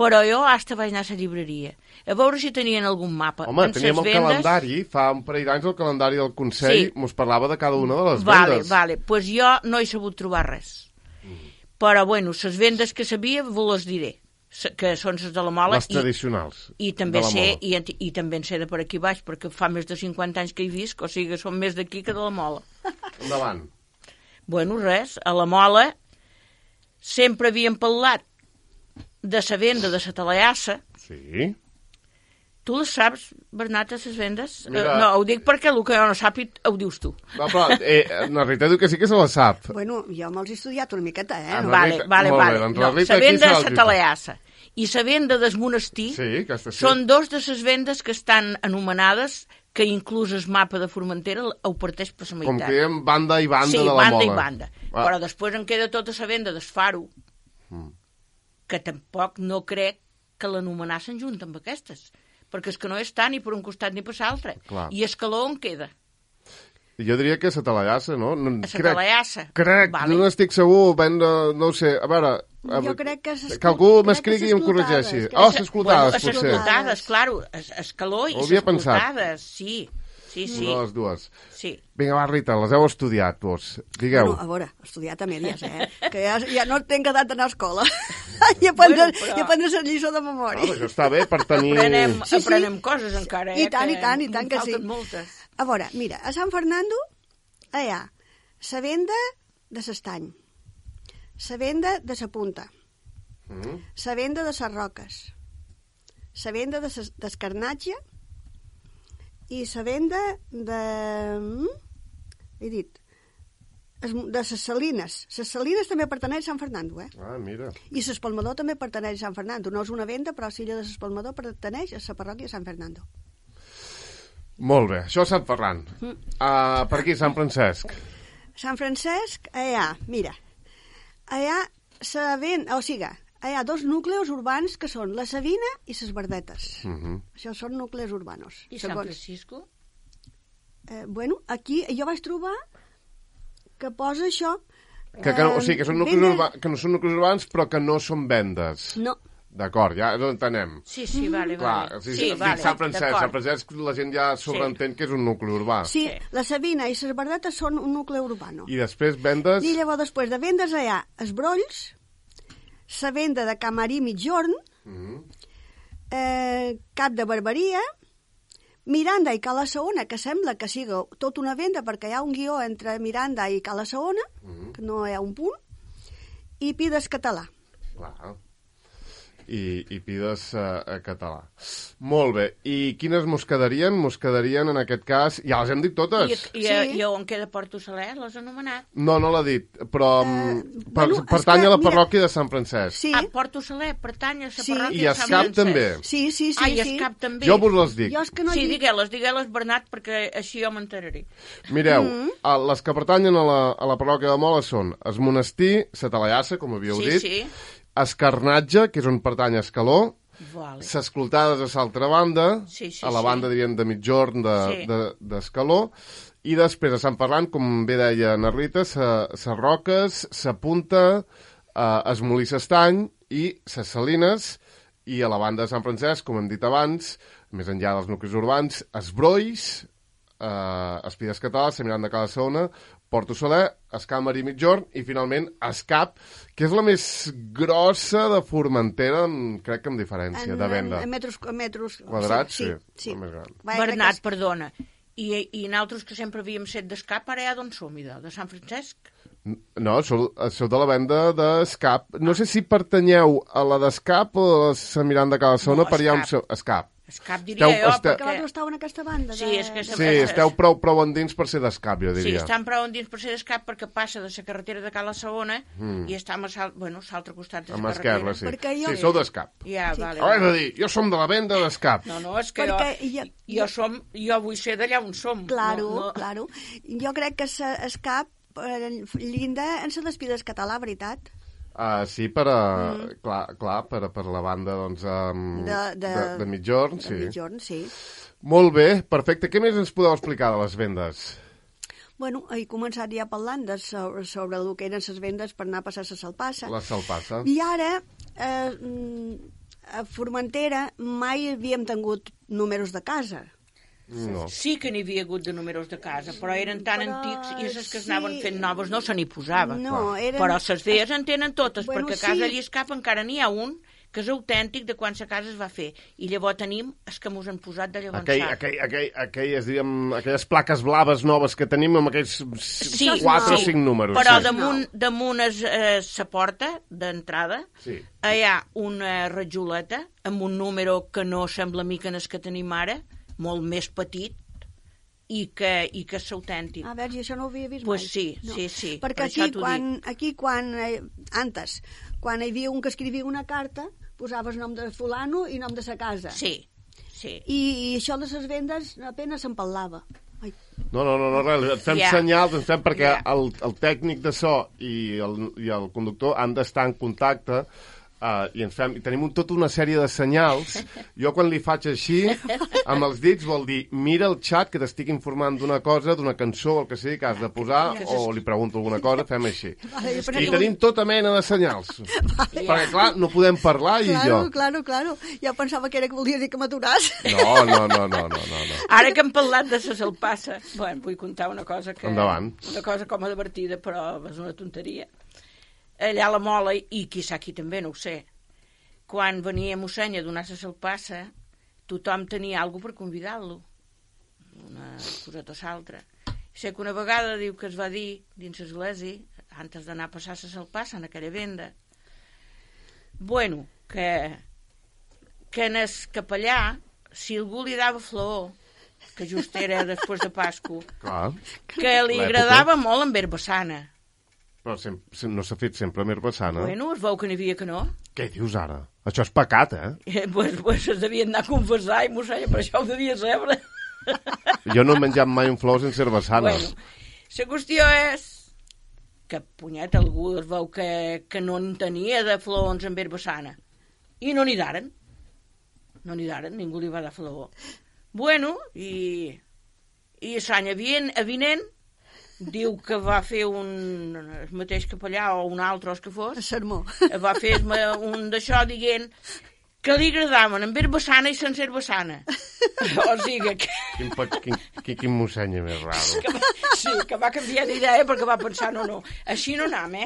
però jo hasta vaig anar a la llibreria a veure si tenien algun mapa. Home, teníem el calendari, fa un parell d'anys el calendari del Consell mos parlava de cada una de les vendes. Vale, pues jo no he sabut trobar res. Però, bueno, les vendes que sabia vos les diré, que són les de la Mola. Les tradicionals. I també de la sé, Mola. i també en sé de per aquí baix, perquè fa més de 50 anys que hi visc, o sigui que són més d'aquí que de la Mola. Endavant. Bueno, res, a la Mola sempre havíem parlat de la venda de la Talaiassa. Sí. Tu les saps, Bernat, les vendes? Mira... No, ho dic perquè el que jo no sàpic ho dius tu. No, però la Rita diu que sí que se la sap. Bueno, jo me'ls he estudiat una miqueta, No, Vale. Doncs No, Rita, la venda aquí de la Talaiassa i la venda del monestir són dos de les vendes que estan anomenades, que inclús el mapa de Formentera ho parteix per la meitat. Com que diem banda i banda de la Mola. Sí, banda i banda. Però després en queda tota la venda del Faro, que tampoc no crec que l'anomenassin junt amb aquestes, perquè és que no és tant ni per un costat ni per l'altre. I Escaló on queda? Jo diria que és a Talaiassa, no? A Talaiassa. Crec, no estic segur, no ho sé. A veure, jo crec que algú m'escrigui i em corregeixi. S'escoltades, potser. S'escoltades, claro. Escaló i s'escoltades, sí. Una de les dues. Sí. Vinga, va, Rita, les heu estudiat, vos. Digueu. Bueno, a veure, estudiat a mèdies, que ja no tinc edat d'anar a escola. I aprendre la lliçó de memòria. Això està bé per tenir... Aprenem coses encara, I tant que sí. Moltes. A veure, mira, a Sant Fernando hi ha la venda de l'estany, la venda de la punta, la venda de les roques, la venda del carnatge i la venda de... he dit... de les salines. Les salines també pertaneix a Sant Fernando, Ah, mira. I l'Espalmador també pertaneix a Sant Fernando. No és una venda, però l'illa de l'Espalmador pertaneix a la parròquia de Sant Fernando. Molt bé, això és Sant Ferran. Per aquí, Sant Francesc. Sant Francesc, mira, hi ha dos núcleos urbans que són la Savina i les Verdetes. Això són núcleos urbanos. I Sant Francisco? Bueno, aquí jo vaig trobar que posa això... O sigui, que són núcleos urbans, però que no són vendes. No. D'acord, ja ho entenem. Sí, vale. Clar, Sí, vale, Sant Francesc, d'acord. Sant Francesc la gent ja sobreentén que és un nucli urbà. Sí, la Sabina i les Verdetes són un nucli urbano. I després vendes... I llavors, després de vendes, hi ha Esbrolls, la venda de Camarí Mitjorn, Cap de Barberia, Miranda i Cala Saona, que sembla que siga tot una venda perquè hi ha un guió entre Miranda i Cala Saona, que no hi ha un punt, i Pides Català. Clar. I pides català. Molt bé. I quines mos quedarien? Mos quedarien, en aquest cas... Ja les hem dit totes. I on queda Porto Saler? L'has anomenat? No l'ha dit, però pertany a la parròquia de Sant Francesc. Sí. Porto Saler pertany a la parròquia I de Sant Escap Francesc. també. Sí. I Escap també. Jo vos les dic. Jo és que no Sí, dic... digueu-les, Bernat, perquè així jo m'enteraré. Mireu, les que pertanyen a la parròquia de Mola són Es Monestir, Sa Talaiassa, com havíeu dit, Sí. Escarnatge, que és on pertany Escaló, Vale. Ses Clotades a l'altra banda, Sí, a la banda, diríem, de Mitjorn d'Escaló, i després a Sant Ferran, com bé deia Narlita, Ses Roques, Sa Punta, Es Molí s'Estany i Ses Salines, i a la banda de Sant Francesc, com hem dit abans, més enllà dels nuclis urbans, Esbrolls, Espides Català, Sant Miranda de Cala Saona, Porto Saler, Escàmer i Mitjorn i finalment Escap, que és la més grossa de Formentera, crec que amb diferència de venda. En metros Quadrats, sí. Sí. La més gran. Bernat, perdona. I nosaltres que sempre havíem set d'Escap, ara ja d'on som, de Sant Francesc? No, sou de la venda d'Escap. No sé si pertanyeu a la d'Escap o a la Sant Miranda de Cala Saona, No, però hi ha un... Escap. Escap. Escap diria jo, Perquè perquè... vosaltres esteu en aquesta banda. Sí, és que Sí, esteu prou endins per ser d'Escap, jo Sí, diria. estan prou endins per ser d'Escap perquè passa de la carretera de Cala Saona i estem a l'altre costat de la Amb carretera. esquerra, sí. Perquè jo- Sí, sou d'Escap. Ja, vale. És a dir, jo som de la venda d'Escap. No, és que Perquè jo vull ser d'allà on som. Claro. Jo crec que Escap llinda en la d'Espides Català, veritat? Sí, per la banda doncs, de Mitjorn, sí. De Mitjorn, sí. Molt bé, perfecte. Què més ens podeu explicar de les vendes? Bueno, he començat ja parlant sobre el que eren les vendes per anar a passar la Salpassa. La Salpassa. I ara, a Formentera mai havíem tingut números de casa. No. Sí que n'hi havia hagut de números de casa, però eren tan antics i les que anaven fent noves no se n'hi posava. No, eren... Però les velles en tenen totes, Bueno, perquè a casa sí. Lliscap encara n'hi ha un que és autèntic de quan la casa es va fer. I llavors tenim els que mos han posat de llavors. Aquelles plaques blaves noves que tenim amb aquells 4 o 5 números. Però sí. damunt la porta d'entrada hi ha una rajoleta amb un número que no sembla mica en el que tenim ara, molt més petit, i que és autèntic. A veure, això no ho havia vist Pues mai. sí, No. sí. Perquè per antes, quan hi havia un que escrivia una carta, posaves nom de fulano i nom de sa casa. Sí. I això de les vendes apenas se'n parlava. Ai. No, res, et fem senyals, perquè el tècnic de so i el conductor han d'estar en contacte i tenim tota una sèrie de senyals. Jo quan li faig així amb els dits vol dir mira el xat que t'estic informant d'una cosa, d'una cançó o el que sigui que has de posar, o li pregunto alguna cosa, fem així. I tenim tota mena de senyals perquè clar, no podem parlar i jo Claro. Jo pensava que era que volia dir que m'aturàs. No. Ara que hem parlat de la Salpassa, vull contar una cosa que... Endavant. Una cosa com a divertida, però és una tonteria. Allà a la Mola, i quizà aquí també, no ho sé, quan venia mossèn a donar la Salpassa, tothom tenia alguna per convidar-lo, una coseta o l'altra. Sé que una vegada diu que es va dir dins l'església, antes d'anar a passar la Salpassa en aquella venda, que en el capellà, si algú li dava flor, que just era després de Pasco, que li agradava molt amb herbassana. Però no s'ha fet sempre amb herbassana. Bueno, es veu que n'hi havia que no. Què dius ara? Això és pecat, Pues es devien anar a confessar i mossèn, per això ho devia saber. Jo no he menjat mai un flor sense herbassana. La qüestió és que, punyet, algú es veu que no en tenia de flors amb herbassana. I no n'hi daren. Ningú li va dar flor. I l'any avinent diu que va fer el mateix capellà o un altre, o el que fos, El sermó. va fer un d'això dient que li agradaven amb herbassana i sense herbassana. O sigui que... Quin mossenya més raro. Que va canviar d'idea perquè va pensar, no, així no anam,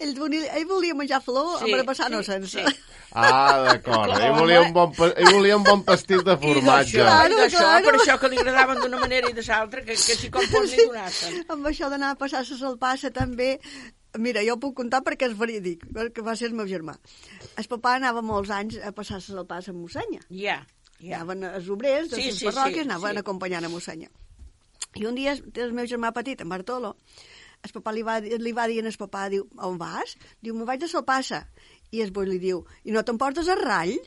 Ell volia menjar flor amb herbassana o sense. Sí. Ah, d'acord. Ell volia un bon pastit de formatge. Claro. Per això que li agradaven d'una manera i de l'altra, que si com pot li donassen. Amb això d'anar a passar la salpassa també... Mira, jo puc contar perquè és verídic, que va ser el meu germà. El papà anava molts anys a passar la salpassa amb mossenya. Ja. Anaven els obrers de les parròquies, anaven acompanyant a mossenya. I un dia el meu germà petit, en Bartolo, el papà li va dir al papà, diu, on vas? Diu, me'n vaig de salpassa. I el boi li diu, i no t'emportes el rall?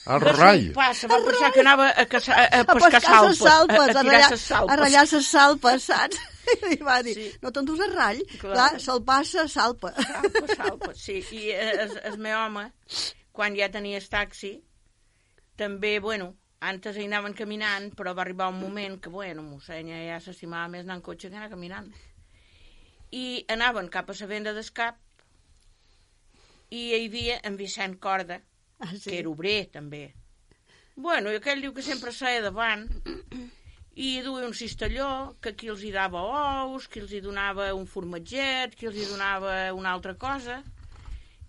El rai? Passa, va pensar que anava a pescar salpes, a ratllar les salpes, saps? I va dir, no t'endús el rall? Clar, salpassa, salpa. Salpa, sí. I el meu home, quan ja tenia el taxi, també, antes hi anaven caminant, però va arribar un moment que, mossenya ja s'estimava més anar en cotxe que anar caminant. I anaven cap a la venda d'Escap i hi havia en Vicent Corda, que era obrer, també. I aquell diu que sempre seia davant i duia un cistelló, que qui els hi dava ous, qui els hi donava un formatget, qui els hi donava una altra cosa,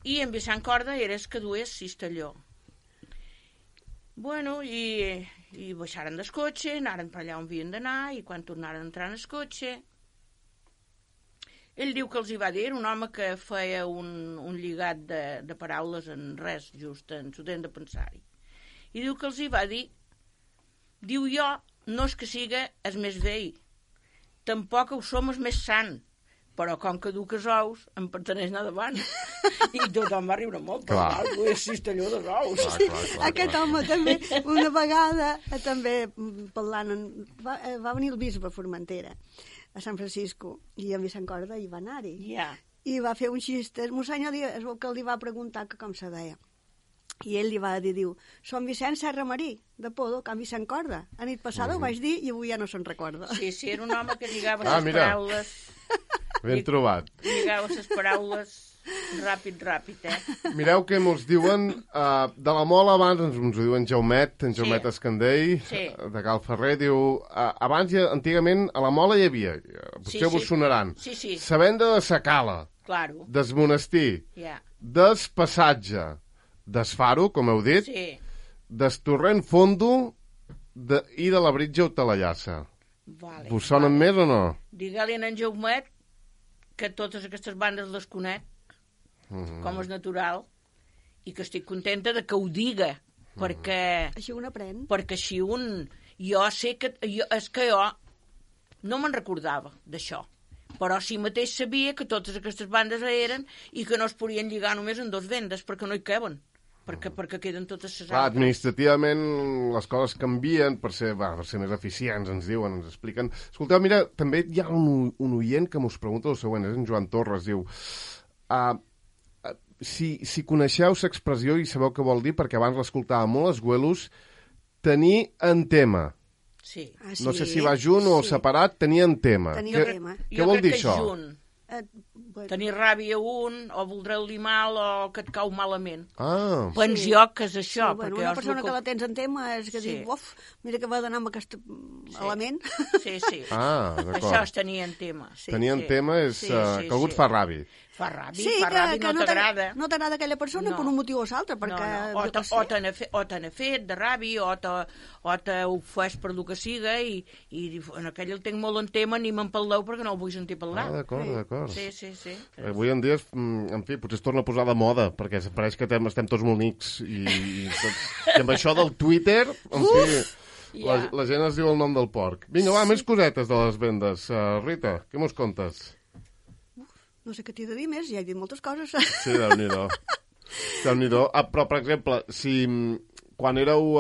i en Vicent Corda era el que duia el cistelló. I baixaren del cotxe, anaren per allà on havien d'anar, i quan tornaren a entrar en el cotxe, ell diu que els hi va dir, un home que feia un lligat de paraules en res, just en s'ho tenen de pensar-hi. I diu que els hi va dir, diu jo, no és que siga el més vell, tampoc ho som el més sant, però com que duc els ous, em perteneix anar davant. I tothom va riure molt, però algú és cistelló dels ous. Aquest home també, una vegada, també parlant, va venir el bisbe a Formentera, a Sant Francisco, i en Vicent Corda hi va anar-hi. I va fer un xiste, mossenya es veu que li va preguntar que com se deia. I ell li va dir, diu, som Vicent Serra Marí, de Podo, Can Vicent Corda. A nit passada ho vaig dir i avui ja no se'n recorda. Sí, era un home que lligava les paraules. Ben trobat. Lligava les paraules ràpid, Mireu que ens diuen, de la Mola abans, ens ho diuen Jaumet, en Jaumet Escandell, de Cal Ferrer, diu, abans, antigament, a la Mola hi havia, potser vos sonaran, la venda de sa Cala, des Monestir, des Passatge, des Faro, com heu dit, des Torrent Fondo i de la Britja Hotelellassa. Vos sonen més o no? Digue-li en Jaumet que totes aquestes bandes les conec, com és natural, i que estic contenta de que ho diga, perquè... Així un aprèn. Perquè així un... Jo sé que... És que jo no me'n recordava d'això, però sí mateix sabia que totes aquestes bandes eren i que no es podien lligar només en dos vendes, perquè no hi caben. Perquè queden totes les altres. Administrativament les coses canvien per ser més eficients, ens diuen, ens expliquen. Escolteu, mira, també hi ha un oient que m'us pregunta el següent, és en Joan Torres, diu, si coneixeu l'expressió i sabeu què vol dir, perquè abans l'escoltàvem molt, els güelos, tenir en tema. Sí. No sé si va junt o separat, tenir en tema. Què vol dir això? Tenir ràbia o voldreu-li mal o que et cau malament. Pens jo que és això. Una persona que la tens en tema és que diu, mira que va d'anar amb aquest element. Sí. D'acord. Això és tenir en tema. Tenir en tema és que algú et fa ràbia. Fa ràbia, no t'agrada. No t'agrada aquella persona per un motiu o l'altre, perquè... O te n'ha fet de ràbia, o te ho fes per el que siga, i en aquell el tinc molt en tema, ni me'n parleu perquè no el vull sentir parlar. D'acord. Sí. Avui en dia, en fi, potser es torna a posar de moda, perquè pareix que estem tots molt nics, i amb això del Twitter, en fi... La gent es diu el nom del porc. Vinga, més cosetes de les vendes. Rita, què mos contes? No sé què t'he de dir més, ja he dit moltes coses. Sí, Déu-n'hi-do. Però, per exemple, si quan éreu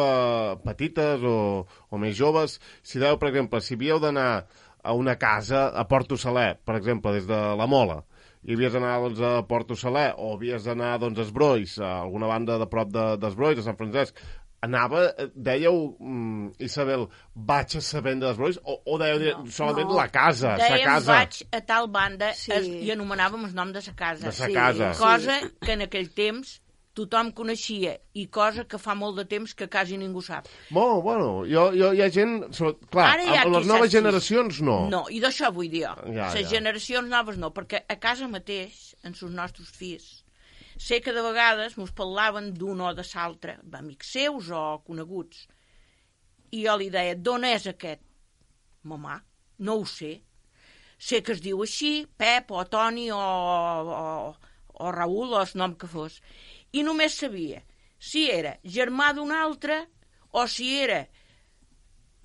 petites o més joves, si dèieu, per exemple, si havíeu d'anar a una casa a Porto Saler, per exemple, des de la Mola, i havies d'anar a Porto Saler, o havies d'anar a Esbrois, a alguna banda de prop d'Esbrois, a Sant Francesc, dèieu, Isabel, vaig a la venda dels brolis, o dèieu solament la casa, sa Dèiem casa? vaig a tal banda i anomenàvem el nom de la casa. De sa casa. Cosa que en aquell temps tothom coneixia i cosa que fa molt de temps que quasi ningú sap. Bueno, hi ha gent... Clar, amb les noves generacions no. No, i d'això vull dir jo. Les Ja. generacions noves no, perquè a casa mateix, en els nostres fills, sé que de vegades mos parlaven d'un o de l'altre, amics seus o coneguts, i jo li deia, d'on és aquest? Mamà, no ho sé. Sé que es diu així, Pep o Toni o Raül o el nom que fos. I només sabia si era germà d'un altre o si era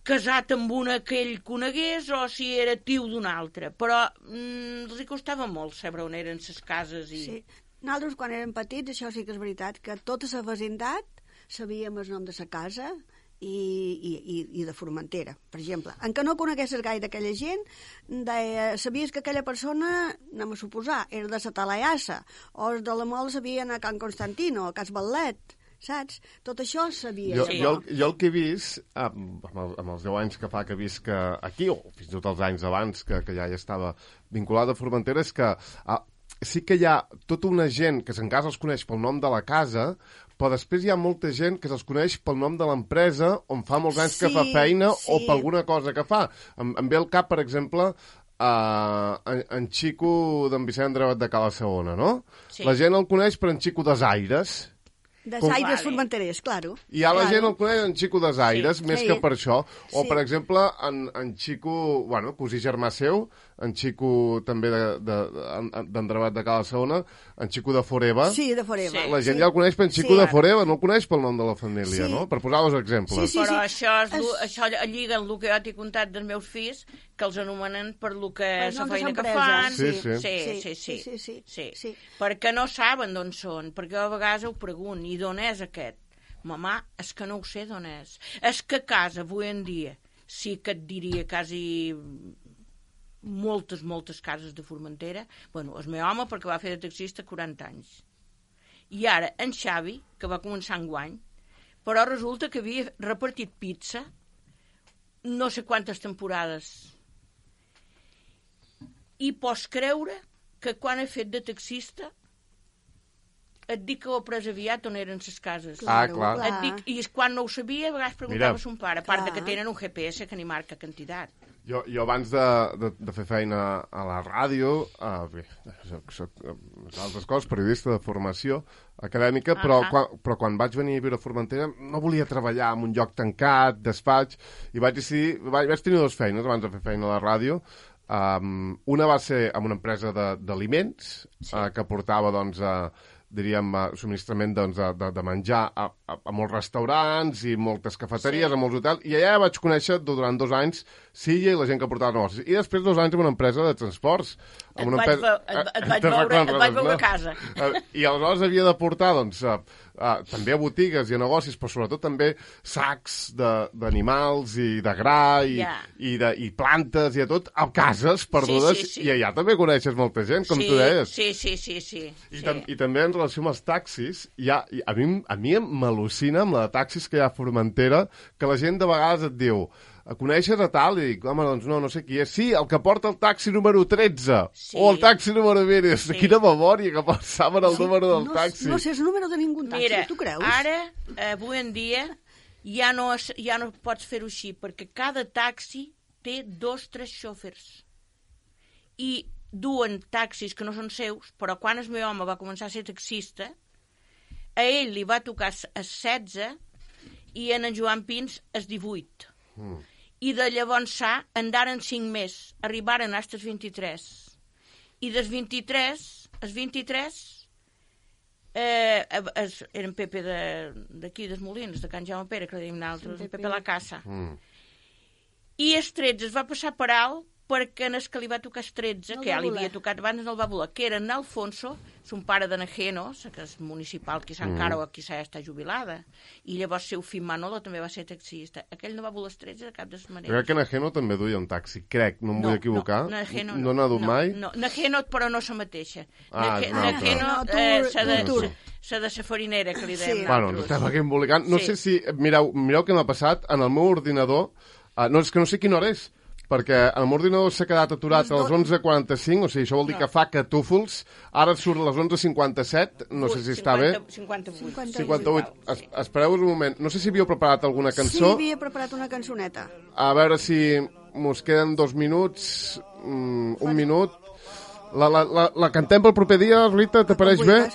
casat amb una que ell conegués o si era tio d'un altre. Però els costava molt saber on eren les cases. Sí. Nosaltres, quan érem petits, això sí que és veritat, que tota la vecindat sabíem el nom de la casa i de Formentera, per exemple. En què no coneguessis gaire aquella gent, sabies que aquella persona, anem a suposar, era de la Talaiassa, o els de la Mol sabien a Can Constantino, a Cas Ballet, saps? Tot això sabia. Jo el que he vist, amb els 10 anys que fa que visc aquí, o fins i tot els anys abans que ja hi estava vinculada a Formentera, és que sí que hi ha tota una gent que en casa els coneix pel nom de la casa, però després hi ha molta gent que se'ls coneix pel nom de l'empresa on fa molts anys que fa feina o per alguna cosa que fa. Em ve al cap, per exemple, en Xico d'en Vicent Drevet de Cala Segona, no? Sí. La gent el coneix per en Xico des Aires. Des Aires Formenterers, claro. I la gent el coneix en Xico des Aires, més que per això. O, per exemple, en Xico, bueno, cosí germà seu, en Xico també d'en Drevet de Cala Segona, en Xico de Foreva. Sí, de Foreva. La gent ja el coneix per en Xico de Foreva, no el coneix pel nom de la família, no? Per posar dos exemples. Però això lliga amb el que jo t'he contat dels meus fills, que els anomenen per lo que la feina que fan. Sí. Perquè no saben d'on són, perquè a vegades ho pregunto, i d'on és aquest? Mamà, és que no ho sé d'on és. És que a casa, avui en dia, sí que et diria quasi moltes cases de Formentera. Bueno, el meu home, perquè va fer de taxista 40 anys. I ara, en Xavi, que va començar enguany, però resulta que havia repartit pizza no sé quantes temporades. I pots creure que quan he fet de taxista et dic que ho he pres aviat on eren les cases. Clar. Et dic, i quan no ho sabia, a vegades preguntava a son pare, a part que tenen un GPS que ni marca quantitat. Jo abans de fer feina a la ràdio, soc altres coses, periodista de formació acadèmica, però quan vaig venir a viure a Formentera no volia treballar en un lloc tancat, despatx, i vaig tenir dues feines abans de fer feina a la ràdio. Una va ser amb una empresa d'aliments que portava, doncs, diríem, subministrament de menjar a molts restaurants i moltes cafeteries, a molts hotels, i allà vaig conèixer durant 2 anys Silla i la gent que portava negocis. I després 2 anys en una empresa de transports. Et vaig veure a casa. I aleshores havia de portar, doncs, també a botigues i a negocis, però sobretot també sacs d'animals i de gra i plantes i de tot, a cases perdudes, i allà també coneixes molta gent, com tu deies. Sí. I també en relació amb els taxis, a mi m'al·lucina amb la de taxis que hi ha a Formentera, que la gent de vegades et diu, coneixes a tal? I dic, home, doncs no sé qui és. Sí, el que porta el taxi número 13, o el taxi número 20. Quina memòria que saben el número del taxi. No sé el número de ningú taxi, mira, tu creus? Ara, avui en dia, ja no pots fer-ho així, perquè cada taxi té 2-3 xòfers. I duen taxis que no són seus, però quan el meu home va començar a ser taxista, a ell li va tocar a 16 i en Joan Pins a 18. I de llavors andaren 5 més, arribaren als 23. I dels 23, els 23 eren Pepe d'aquí, dels Molins, de Can Jaume Pere, que dèiem nosaltres, Pepe la Casa. I els 13 es va passar per alt perquè en el que li va tocar els 13, que ja li havia tocat abans, no el va voler, que era en Alfonso, son pare de Najeno, que és municipal, quizà encara o quizà ja està jubilada, i llavors seu fill Manolo també va ser taxista. Aquell no va voler els 13 de cap de les maneres. Crec que Najeno també duia un taxi, crec, no em vull equivocar. No, Najeno no n'ha dut mai? No, Najeno, però no la mateixa. Najeno La de la farinera, que li Sí. dèiem Bueno, ens estem aquí embolicant. No Sí. sé si... Mireu què m'ha passat. En el meu ordinador... no, és que no sé quina hora és, perquè el meu ordinador s'ha quedat aturat a les 11:45, o sigui, això vol dir que fa catúfols. Ara surt a les 11:57, no sé si està bé. 58. 58. Espereu-vos un moment. No sé si havíeu preparat alguna Sí, cançó. havia preparat una cançoneta. A veure si mos queden 2 minuts, un minut. La cantem pel proper dia, Rita, t'apareix bé?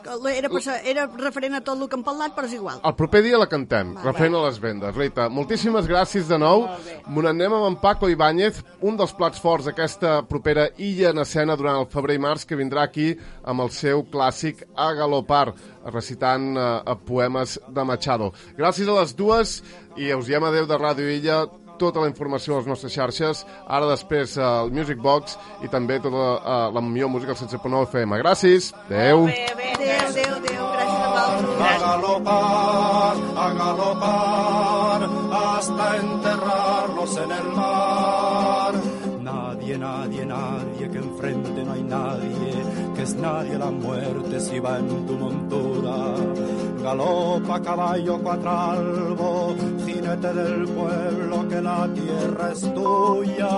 Era referent a tot el que hem parlat, però és igual. El proper dia la cantem, referent a les vendes. Rita, moltíssimes gràcies de nou. M'ho anem amb en Paco Ibáñez, un dels plats forts d'aquesta propera Illa en escena durant el febrer i març, que vindrà aquí amb el seu clàssic A Galopar, recitant poemes de Machado. Gràcies a les dues i us diem adeu de Ràdio Illa. Tota la informació a les nostres xarxes, ara després el Music Box i també tota la millor música al 107.9 FM. Gràcies, adeu. Adéu, gràcies a vosaltres. A galopar, hasta enterrarnos en el mar. Nadie, que enfrente no hay nadie, que es nadie la muerte si va en tu montura. Galopa, caballo cuatralbo, jinete del pueblo, que la tierra es tuya.